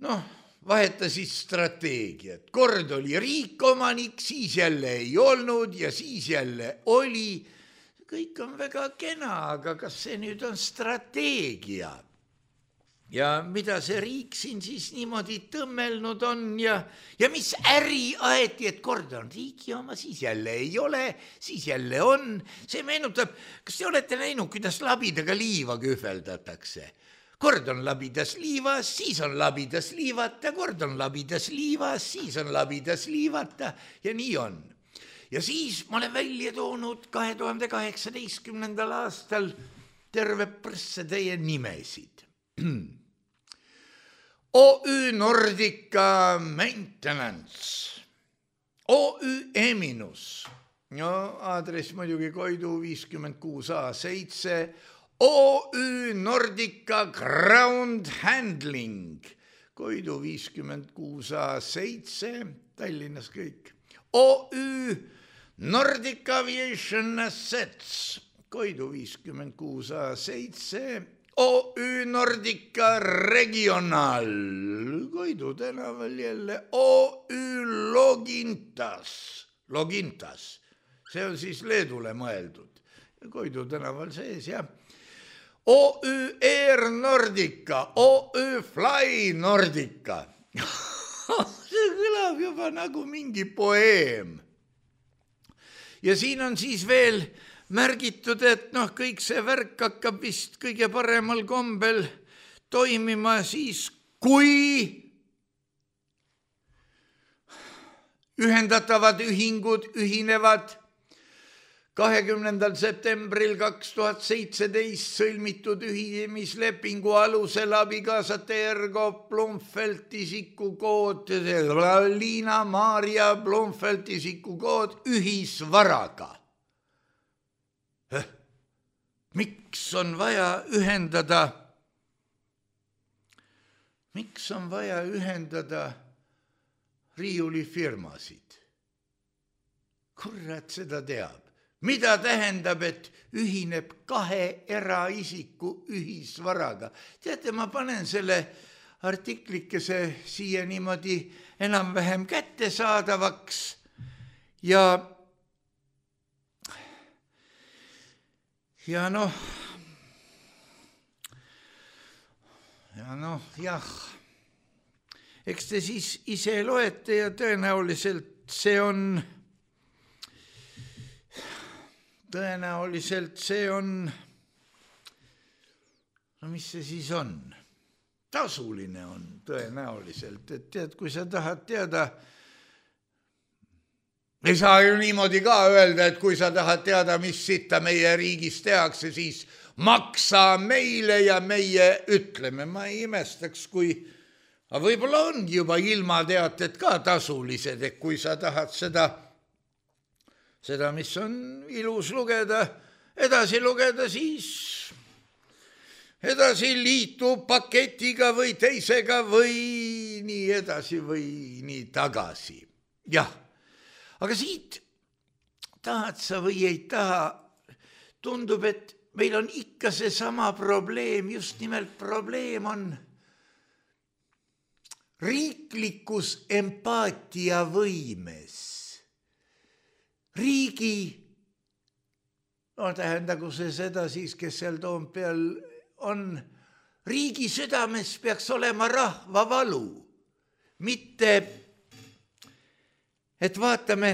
noh, vahetasid strateegiat. Kord oli riik omanik, siis jälle ei olnud ja siis jälle oli. Kõik on väga kena, aga kas see nüüd on strateegia? Ja mida see riik siin siis niimoodi tõmmelnud on ja, ja mis äri aeti, et kord on riigi oma, siis jälle ei ole, siis jälle on. See meenutab, kas te olete näinud, kuidas labidaga liiva kühveldatakse? Kord on labidas liivas, siis on labidas liivata, kord on labidas liivas, siis on labidas liivata ja nii on. Ja siis ma olen välja toonud kahe tuhande kaheksateistkümnendal aastal terve prsse teie nimesid. O Ü Nordica Maintenance, O Ü Eminus, no aadress muidugi Koidu viiskümmend kuus A seitse, O Ü Nordica Ground Handling, Koidu viiskümmend kuus A seitse, Tallinnas kõik, O Ü Nordica Aviation Assets, Koidu viiskümmend kuus A seitse, O Ü Nordica Regional, Koidu tänaval jälle, O Ü Logintas, Logintas, see on siis Leedule mõeldud, Koidu tänaval sees, jah. O Ü Air Nordica, O Ü Fly Nordica, see kõlab juba nagu mingi poeem. Ja siin on siis veel märgitud, et noh, kõik see värk hakkab vist kõige paremal kombel toimima siis, kui ühendatavad ühingud ühinevad kahekümnendal septembril kaks tuhat seitseteist sõlmitud ühinemislepingu alusel abikaasate Ergo Blomfeld isikukood, Liina Maarja Blomfeld isikukood ühisvaraga. Miks on vaja ühendada, miks on vaja ühendada riiulifirmasid? Kurat seda teab. Mida tähendab, et ühineb kahe eraisiku ühisvaraga? Teate, ma panen selle artiklikese siia niimoodi enam-vähem kättesaadavaks ja Ja noh, ja noh, jah, eks te siis ise loete ja tõenäoliselt see on, tõenäoliselt see on, no mis see siis on? Tasuline on tõenäoliselt, et tead, kui sa tahad teada, ei saa ju niimoodi ka öelda, et kui sa tahad teada, mis sitta meie riigis tehakse, siis maksa meile ja meie ütleme. Ma ei imestaks, kui, aga võib-olla ongi juba ilmateated ka tasulised, et kui sa tahad seda, seda, mis on ilus lugeda, edasi lugeda, siis edasi liitu paketiga või teisega või nii edasi või nii tagasi. Jah. Aga siit tahad sa või ei taha, tundub, et meil on ikka see sama probleem, just nimelt probleem on riiklikus empaatiavõimes. Riigi no tähendagu see seda siis, kes seal Toompeal on, riigi südames peaks olema rahva valu, mitte et vaatame,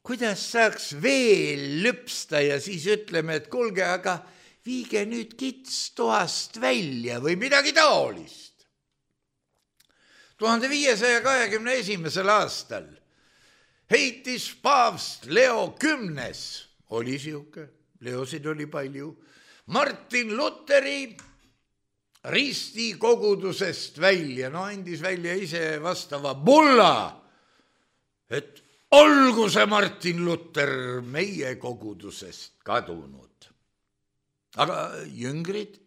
kuidas saaks veel lüpsta ja siis ütleme, et kuulge, aga viige nüüd kits toast välja või midagi taolist. tuhande viiesaja kahekümne esimesel aastal heitis paavst Leo Kümnes, oli siuke, Leosid oli palju, Martin Luteri risti kogudusest välja, no andis välja ise vastava bulla, et olgu see Martin Luther meie kogudusest kadunud. Aga jüngrid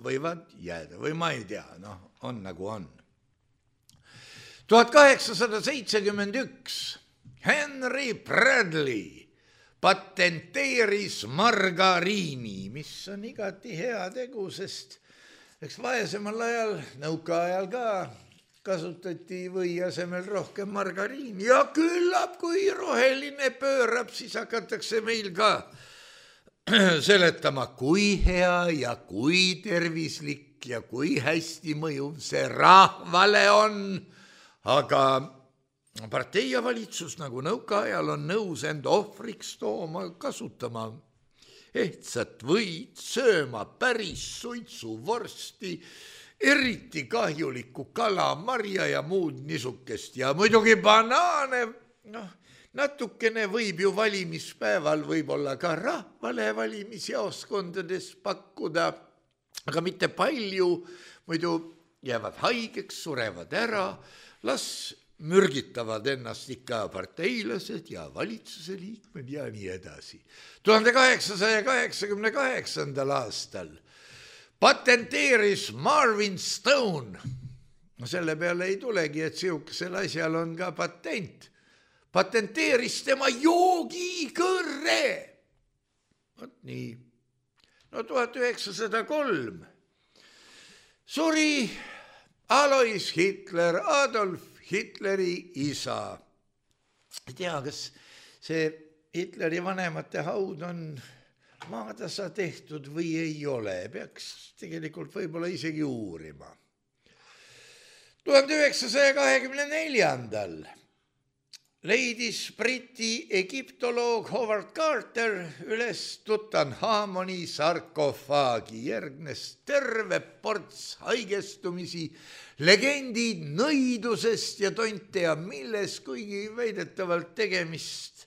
võivad jääda või ma ei tea, noh, on nagu on. tuhat kaheksasada seitsekümmend üks Henry Bradley patenteeris margariini, mis on igati hea tegu, sest eks vaesemal ajal, nõukaajal ka kasutati või asemel rohkem margariini ja küllap, kui roheline pöörab, siis hakatakse meil ka seletama, kui hea ja kui tervislik ja kui hästi mõjuv see rahvale on, aga partei ja valitsus nagu nõukaajal on nõus end ohvriks tooma, kasutama ehtsat võid, sööma päris suitsuvorsti, eriti kahjulikku kala, marja ja muud nisukest ja muidugi banaane, noh, natukene võib ju valimispäeval võib-olla ka rahvale valimisjaoskondades pakkuda, aga mitte palju, muidu jäävad haigeks, surevad ära, las mürgitavad ennast ikka parteilased ja valitsuse liikmed ja nii edasi. tuhande kaheksasaja kaheksakümne kaheksandal aastal patenteeris Marvin Stone, no selle peale ei tulegi, et siukesel asjal on ka patent, patenteeris tema joogikõrre. Vot nii. No tuhat üheksasada kolm suri Alois Hitler, Adolf Hitleri isa. Ei tea, kas see Hitleri vanemate haud on maatasa tehtud või ei ole, peaks tegelikult võib-olla isegi uurima. tuhande üheksasaja kahekümne neljandal leidis Briti egiptoloog Howard Carter üles Tutankhamoni sarkofaagi, järgnes terve ports haigestumisi, legendid nõidusest ja tonte ja milles, kuigi väidetavalt tegemist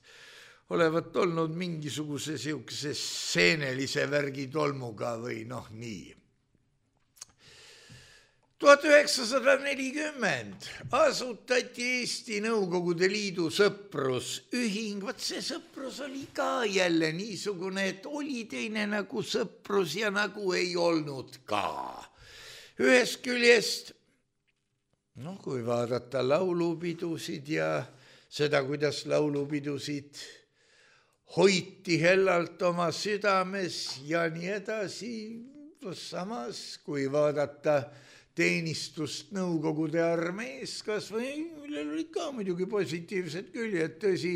olevat olnud mingisuguse siukese seenelise värgi tolmuga või noh nii. tuhat üheksasada nelikümmend asutati Eesti Nõukogude Liidu sõprusühing, vaat see sõprus oli ka jälle niisugune, et oli teine nagu sõprus ja nagu ei olnud ka. Ühest küljest, noh, kui vaadata laulupidusid ja seda, kuidas laulupidusid hoiti hellalt oma südames ja nii edasi, samas kui vaadata teenistust Nõukogude armees, kas või millel olid ka muidugi positiivsed küljed, tõsi,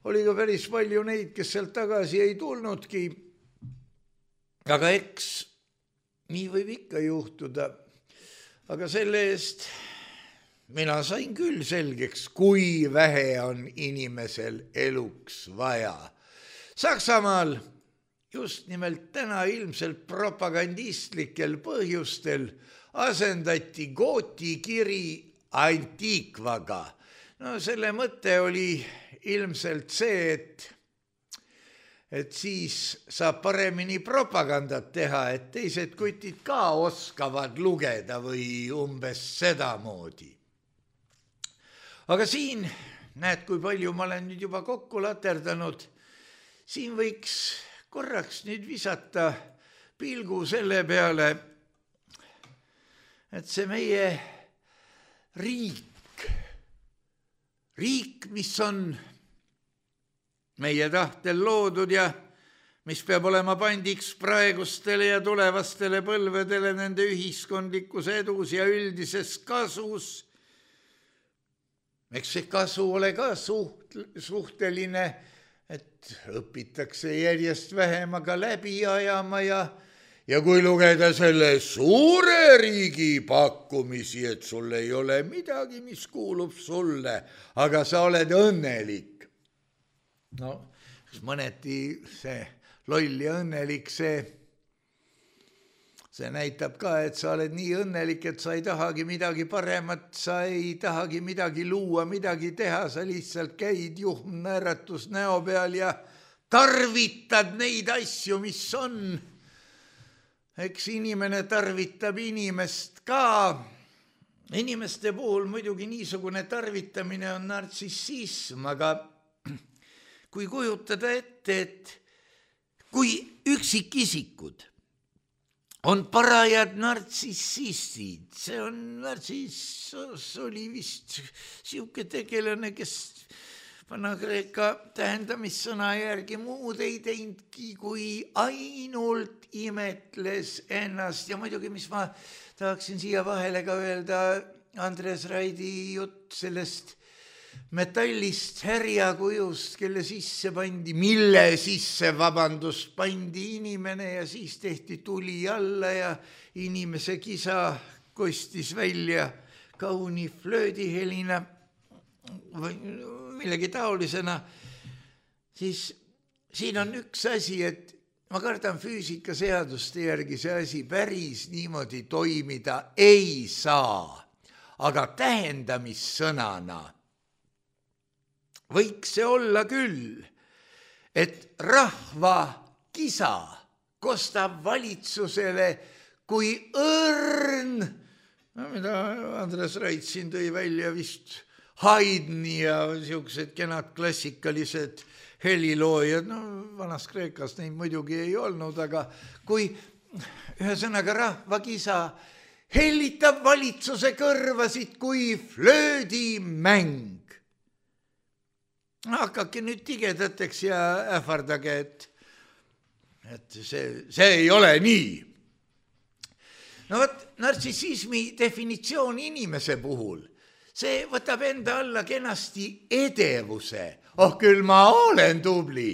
oli ka päris palju neid, kes sealt tagasi ei tulnudki, aga eks nii võib ikka juhtuda, aga selle eest mina sain küll selgeks, kui vähe on inimesel eluks vaja. Saksamaal just nimelt täna ilmselt propagandistlikel põhjustel asendati Gooti kiri Antiqvaga. No selle mõte oli ilmselt see, et, et siis saab paremini propagandat teha, et teised kutid ka oskavad lugeda või umbes sedamoodi. Aga siin, näed, kui palju ma olen nüüd juba kokku laterdanud, siin võiks korraks nüüd visata pilgu selle peale, et see meie riik, riik, mis on meie tahtel loodud ja mis peab olema pandiks praegustele ja tulevastele põlvedele nende ühiskondlikus edus ja üldises kasus, eks see kasu ole ka suht, suhteline, et õpitakse järjest vähemaga läbi ajama ja ja kui lugeda selle suure riigi pakkumisi, et sul ei ole midagi, mis kuulub sulle, aga sa oled õnnelik. No, mõneti see loll ja õnnelik, see, see näitab ka, et sa oled nii õnnelik, et sa ei tahagi midagi paremat, sa ei tahagi midagi luua, midagi teha, sa lihtsalt käid juhm naeratus näo peal ja tarvitad neid asju, mis on. Eks inimene tarvitab inimest ka. Inimeste puhul muidugi niisugune tarvitamine on nartsissism, aga kui kujutada ette, et kui üksikisikud on parajad nartsissistid, see on nartsiss oli vist siuke tegelane, kes Vana-Kreeka tähendamissõna järgi muud ei teinudki, kui ainult imetles ennast ja muidugi, mis ma tahaksin siia vahele ka öelda, Andres Raidi jutt sellest metallist härjakujust, kelle sisse pandi, mille sisse, vabandust, pandi inimene ja siis tehti tuli alla ja inimese kisa kostis välja kauni flöödihelina või millegi taolisena, siis siin on üks asi, et ma kardan füüsikaseaduste järgi see asi päris niimoodi toimida ei saa, aga tähendamissõnana võiks see olla küll, et rahva kisa kostab valitsusele kui õrn, no, mida Andres Rait siin tõi välja vist Haydni ja siuksed kenad klassikalised heliloojad, no vanas Kreekas neid muidugi ei olnud, aga kui ühesõnaga rahvakisa hellitab valitsuse kõrvasid kui flöödimäng. Hakake nüüd tigedateks ja ähvardage, et, et see, see ei ole nii. No võt, nartsissismi definitsioon inimese puhul, see võtab enda alla kenasti edevuse. Oh, küll ma olen tubli.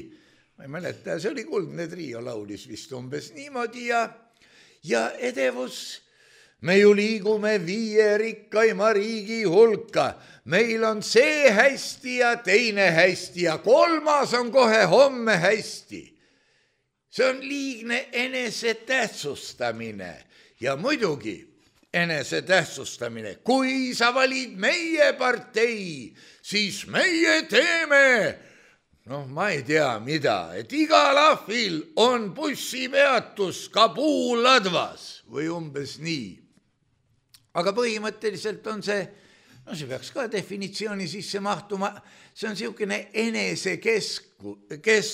Ma ei mäleta, see oli Kuldne Trio laulis vist umbes niimoodi ja, ja edevus. Me ju liigume viie rikkaima riigi hulka. Meil on see hästi ja teine hästi ja kolmas on kohe homme hästi. See on liigne enese tähtsustamine ja muidugi enese tähtsustamine. Kui sa valid meie partei, siis meie teeme, noh, ma ei tea mida, et igal ahvil on bussipeatus Kabul-Ladvas või umbes nii. Aga põhimõtteliselt on see, no see peaks ka definitsiooni sisse mahtuma, see on siukene enesekesku, kes,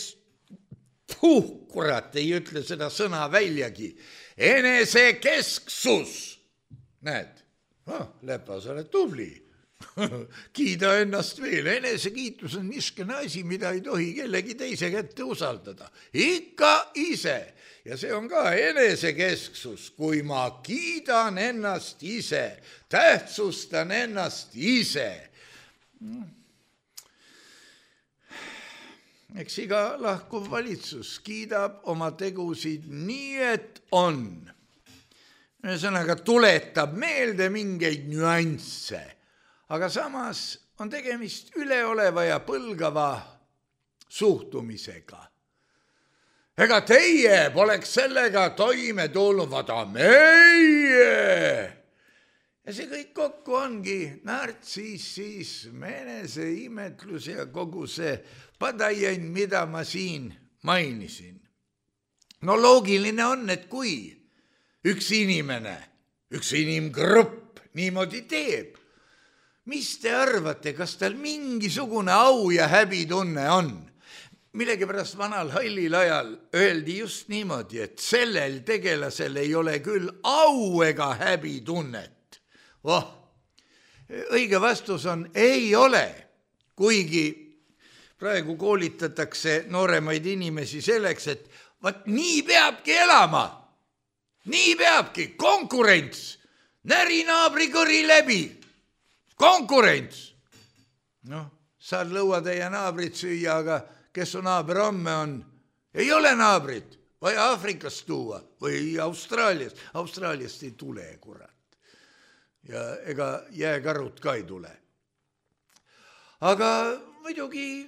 puh, kurat, ei ütle seda sõna väljagi, enesekesksus. Näed, oh, Lepa, sa oled tubli. Kiida ennast veel. Enesekiitus on niskene asi, mida ei tohi kellegi teise kätte usaldada. Ikka ise. Ja see on ka enesekesksus, kui ma kiidan ennast ise, tähtsustan ennast ise. Eks iga lahkuv valitsus kiidab oma tegusid nii, et on. Ühesõnaga tuletab meelde mingeid nüansse, aga samas on tegemist üleoleva ja põlgava suhtumisega. Ega teie poleks sellega toime tulnud, vaata meie. Ja see kõik kokku ongi nartsissism, eneseimetlus ja kogu see padajain, mida ma siin mainisin. No loogiline on, et kui üks inimene, üks inimgrupp niimoodi teeb, mis te arvate, kas tal mingisugune au ja häbitunne on? Millegipärast vanal hallil ajal öeldi just niimoodi, et sellel tegelasel ei ole küll au ega häbitunnet. Oh, õige vastus on ei ole, kuigi praegu koolitatakse nooremaid inimesi selleks, et vaat nii peabki elama. Nii peabki, konkurents, näri naabri kõri läbi, konkurents. Noh, saad lõuatäie naabrit süüa, aga kes su naaber homme on. Ei ole naabrit, vaja Aafrikast tuua või Austraaliast. Austraaliast ei tule, kurat. Ja ega jääkarut ka ei tule. Aga muidugi,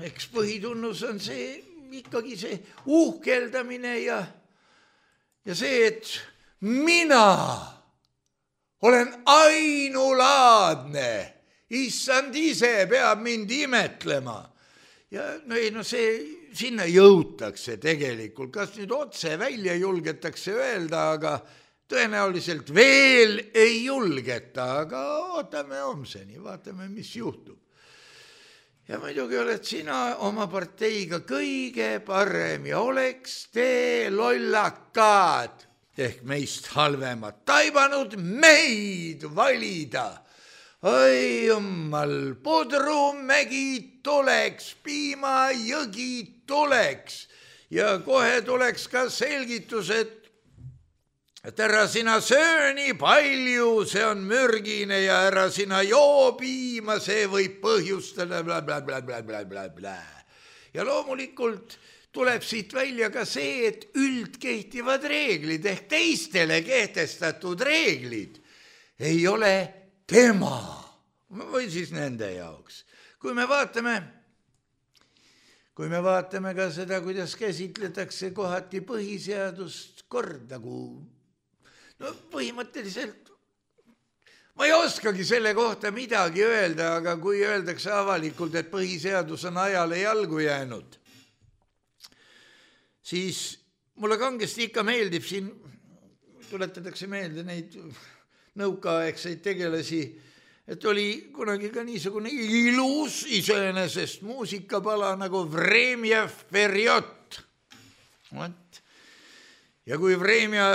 eks põhitunnus on see, ikkagi see uhkeldamine ja, ja see, et mina olen ainulaadne, issand ise peab mind imetlema. Ja no ei, no see sinna jõutakse tegelikult, kas nüüd otse välja julgetakse öelda, aga tõenäoliselt veel ei julgeta, aga ootame homseni, vaatame, mis juhtub. Ja muidugi oled sina oma parteiga kõige parem ja oleks te lollakad ehk meist halvemad taibanud meid valida. Oi jummal, Pudrumägi tuleks, Piimajõgi tuleks ja kohe tuleks ka selgitus, et et ära sina söö nii palju, see on mürgine ja ära sina joo piima, see võib põhjustada bla, bla, bla, bla, bla, bla, bla. Ja loomulikult tuleb siit välja ka see, et üldkehtivad reeglid ehk teistele kehtestatud reeglid ei ole tema või siis nende jaoks. Kui me vaatame, kui me vaatame ka seda, kuidas käsitletakse kohati põhiseadust kord nagu no põhimõtteliselt ma ei oskagi selle kohta midagi öelda, aga kui öeldakse avalikult, et põhiseadus on ajale jalgu jäänud, siis mulle kangesti ikka meeldib siin, tuletatakse meelde neid nõukaaegseid tegelasi, et oli kunagi ka niisugune ilus iseenesest muusikapala nagu Vremja Perjot. Ja kui Vremja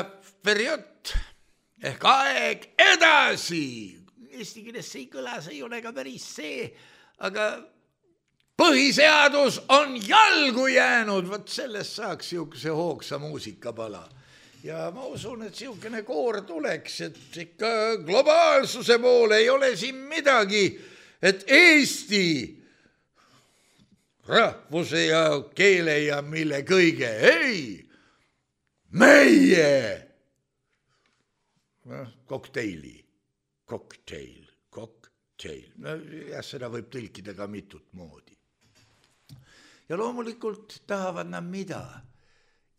Perjot ehk aeg edasi, eesti keeles see ei kõla, see ei ole ka päris see, aga põhiseadus on jalgu jäänud, võt sellest saaks siukse hoogsa muusikapala. Ja ma usun, et siukene koor tuleks, et ikka globaalsuse poole ei ole siin midagi, et Eesti rahvuse ja keele ja mille kõige, ei, meie kokteili, kokteil, kokteil. No, ja seda võib tõlkida ka mitut moodi. Ja loomulikult tahavad nad mida?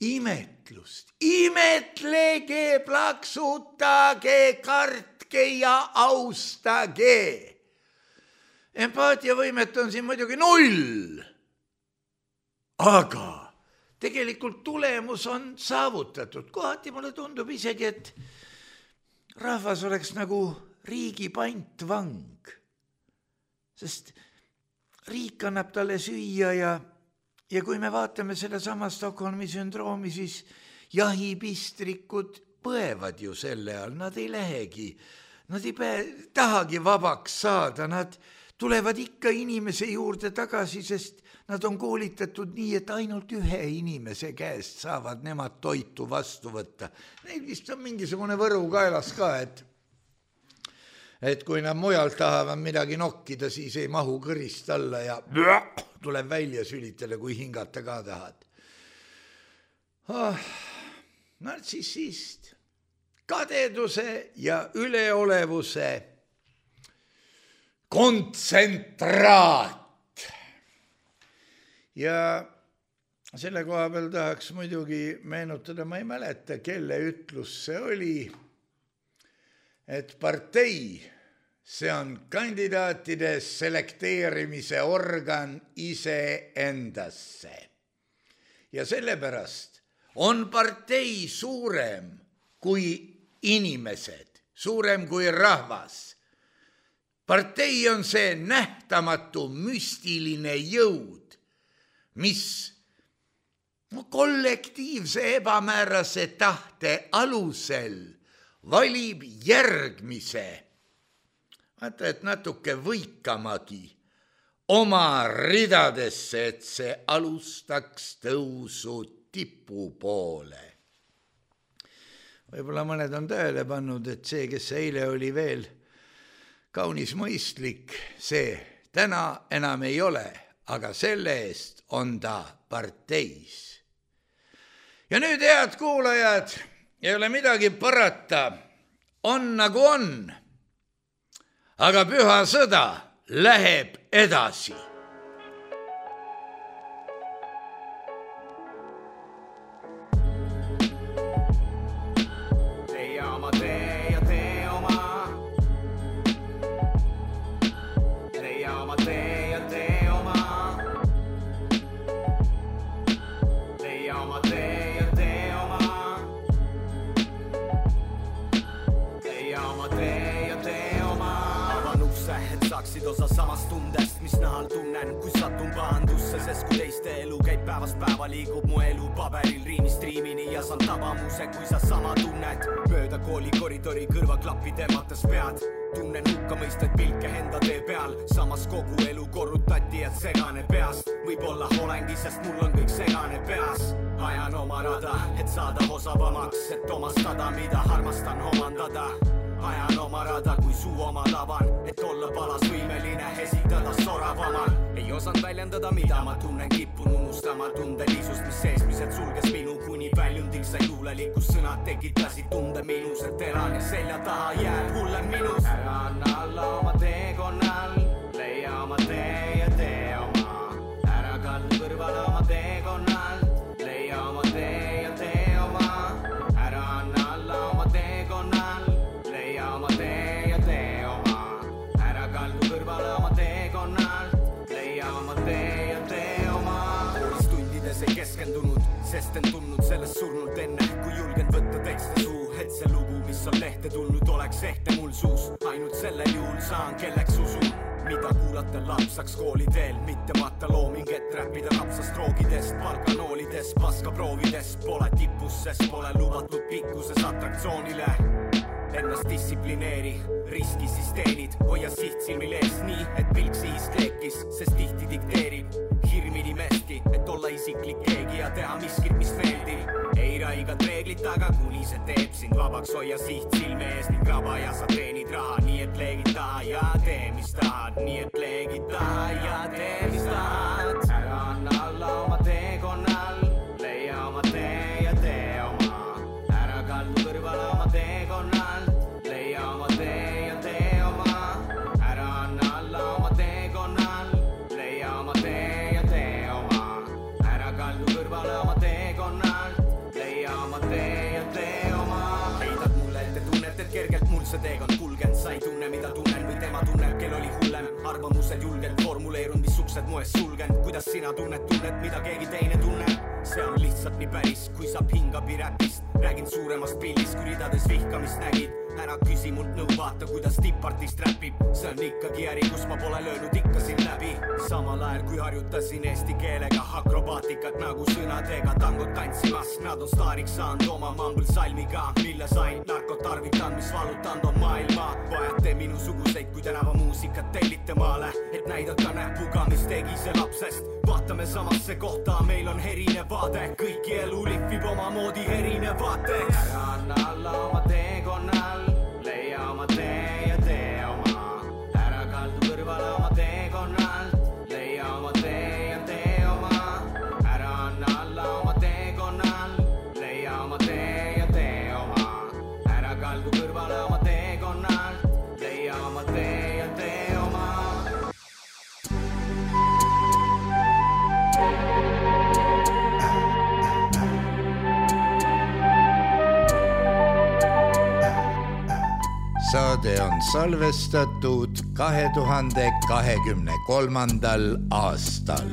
Imetlust. Imetlege, plaksutage, kartke ja austage. Empaatiavõimet on siin muidugi null. Aga tegelikult tulemus on saavutatud. Kohati mulle tundub isegi, et rahvas oleks nagu riigi pantvang, sest riik annab talle süüa ja, ja kui me vaatame selle sama Stockholmi sündroomi, siis jahipistrikud põevad ju selle all, nad ei lähegi, nad ei päe, tahagi vabaks saada, nad tulevad ikka inimese juurde tagasi, sest nad on koolitatud nii, et ainult ühe inimese käest saavad nemad toitu vastu võtta. Neil vist on mingisugune võru kaelas ka, et, et kui nad mujalt tahavad midagi nokkida, siis ei mahu kõrist alla ja tuleb välja sülitada, kui hingata ka tahad. Oh, nartsissist, kadeduse ja üleolevuse kontsentraat. Ja selle koha peal tahaks muidugi meenutada, ma ei mäleta, kelle ütlus see oli, et partei, see on kandidaatide selekteerimise organ ise endasse. Ja sellepärast on partei suurem kui inimesed, suurem kui rahvas. Partei on see nähtamatu müstiline jõud, mis kollektiivse ebamäärase tahte alusel valib järgmise, vaata, et natuke võikamagi oma ridadesse, et see alustaks tõusu tipu poole. Võib-olla mõned on tähele pannud, et see, kes eile oli veel kaunis mõistlik, see täna enam ei ole. aga selle eest on ta parteis. Ja nüüd, head kuulajad, ei ole midagi parata, on nagu on, aga püha sõda läheb edasi. Osa samast tundest, mis nahal tunnen, kui satun pahandusse, sest kui teiste elu käib päevast päeva, liigub mu elu paberil riimist riimini ja saan tabamuse, kui sa sama tunned. Mööda kooli koridori kõrvaklappi tõmmates pead, tunnen hukka mõistaid pilke enda tee peal, samas kogu elu korrutati, et segane peast. Võib-olla olengi, sest mul on kõik segane peas. Ajan oma rada, et saada osavamaks, et omastada, mida armastan omandada. Ajan oma rada, kui suu oma lavan, et olla palas võimeline esitada soravamal. Ei osanud väljendada, mida ma tunnen, kippun unustama tundelisust, mis seesmised sulges minu, kuni väljundil sai luulelikus sõnad tekitasid tunde minus, et elan ja selja taha jääb hullem minus. Ära anna alla oma teekonnal, leia oma tee ja tee oma. Ära kaldu kõrvale oma teekonnal, leia oma tee ja tee oma. Ära anna alla oma teekonnal, oma tee ja tee oma. Ära kaldu kõrvale oma teekonnal, leia oma tee ja tee oma. Koolis tundides ei keskendunud, sest en tundnud sellest surnult enne, kui julgen võtta tekste suu, et see lugu, mis on lehte tulnud, oleks ehte mul suus. Ainult sellel juhul saan, kelleks usun, mida kuulata lapsaks kooliteel, mitte matta looming, et räppida rapsast roogidest, palkanoolidest, paskaproovidest. Pole tipus, sest pole lubatud pikkuses atraktsioonile. Ennast distsiplineeri, riski siis teenid, hoia siht silmil ees nii, et pilk siist leekis, sest tihti dikteerib hirmini mesti, et olla isiklik keegi ja teha miskit, mis meeldib. Ei raigad reeglit, aga kuni see teeb sind vabaks, hoia siht silme ees ning raba ja sa teenid raha, nii et leegid taha ja tee, mis tahad, nii et leegid taha ja tee, mis tahad. Ära anna alla oma teekonnal, leia oma tee ja tee oma. Ära kaldu kõrvale oma teekonnal, leia oma tee ja tee oma. Ära anna alla oma teekonnal, leia oma tee ja tee oma. Ära kaldu kõrvale oma teekonnal, leia oma tee ja tee oma. Heidad mulle, et te tunnete, et kergelt mul see teekond kulgen. Sa ei tunne, mida tunnen või tema tunneb, kel oli hullem. Arvamused julgelt formuleerun, mis uksed moes sulgen. Kuidas sina tunned, tunned, mida keegi teine tunneb? See on lihtsalt nii päris, kui saab hingabi räpist. Räägin suuremast pillist, kui ridades vihkamist nägid. Ära küsi mult nõu, vaata, kuidas tippartist räpib. See on ikkagi äri, kus ma pole löönud ikka siin läbi. Samal ajal, kui harjutasin eesti keelega akrobaatikat nagu sõnadega tangot tantsimas. Nad on staariks saanud oma mambl salmiga, mille sain narkot tarvitan, mis valutanud on maailma. Vajate minusuguseid, kui tänava muusikat tellite maale, et näidata näpuga, mis tegi see lapsest. Vaatame samasse kohta, meil on erinev vaade. Kõiki elu lihvib oma moodi erinev vaateks. Ära anna alla oma teekonnal, leia oma tee ja tee oma. Ära kaldu kõrvale oma teekonnal, leia oma tee ja tee oma. Ära anna alla oma teekonnal, leia oma tee ja tee oma. Ära kaldu kõrvale oma teekonnal, leia oma tee ja tee oma. Saade on salvestatud kahe tuhande kahekümne kolmandal aastal.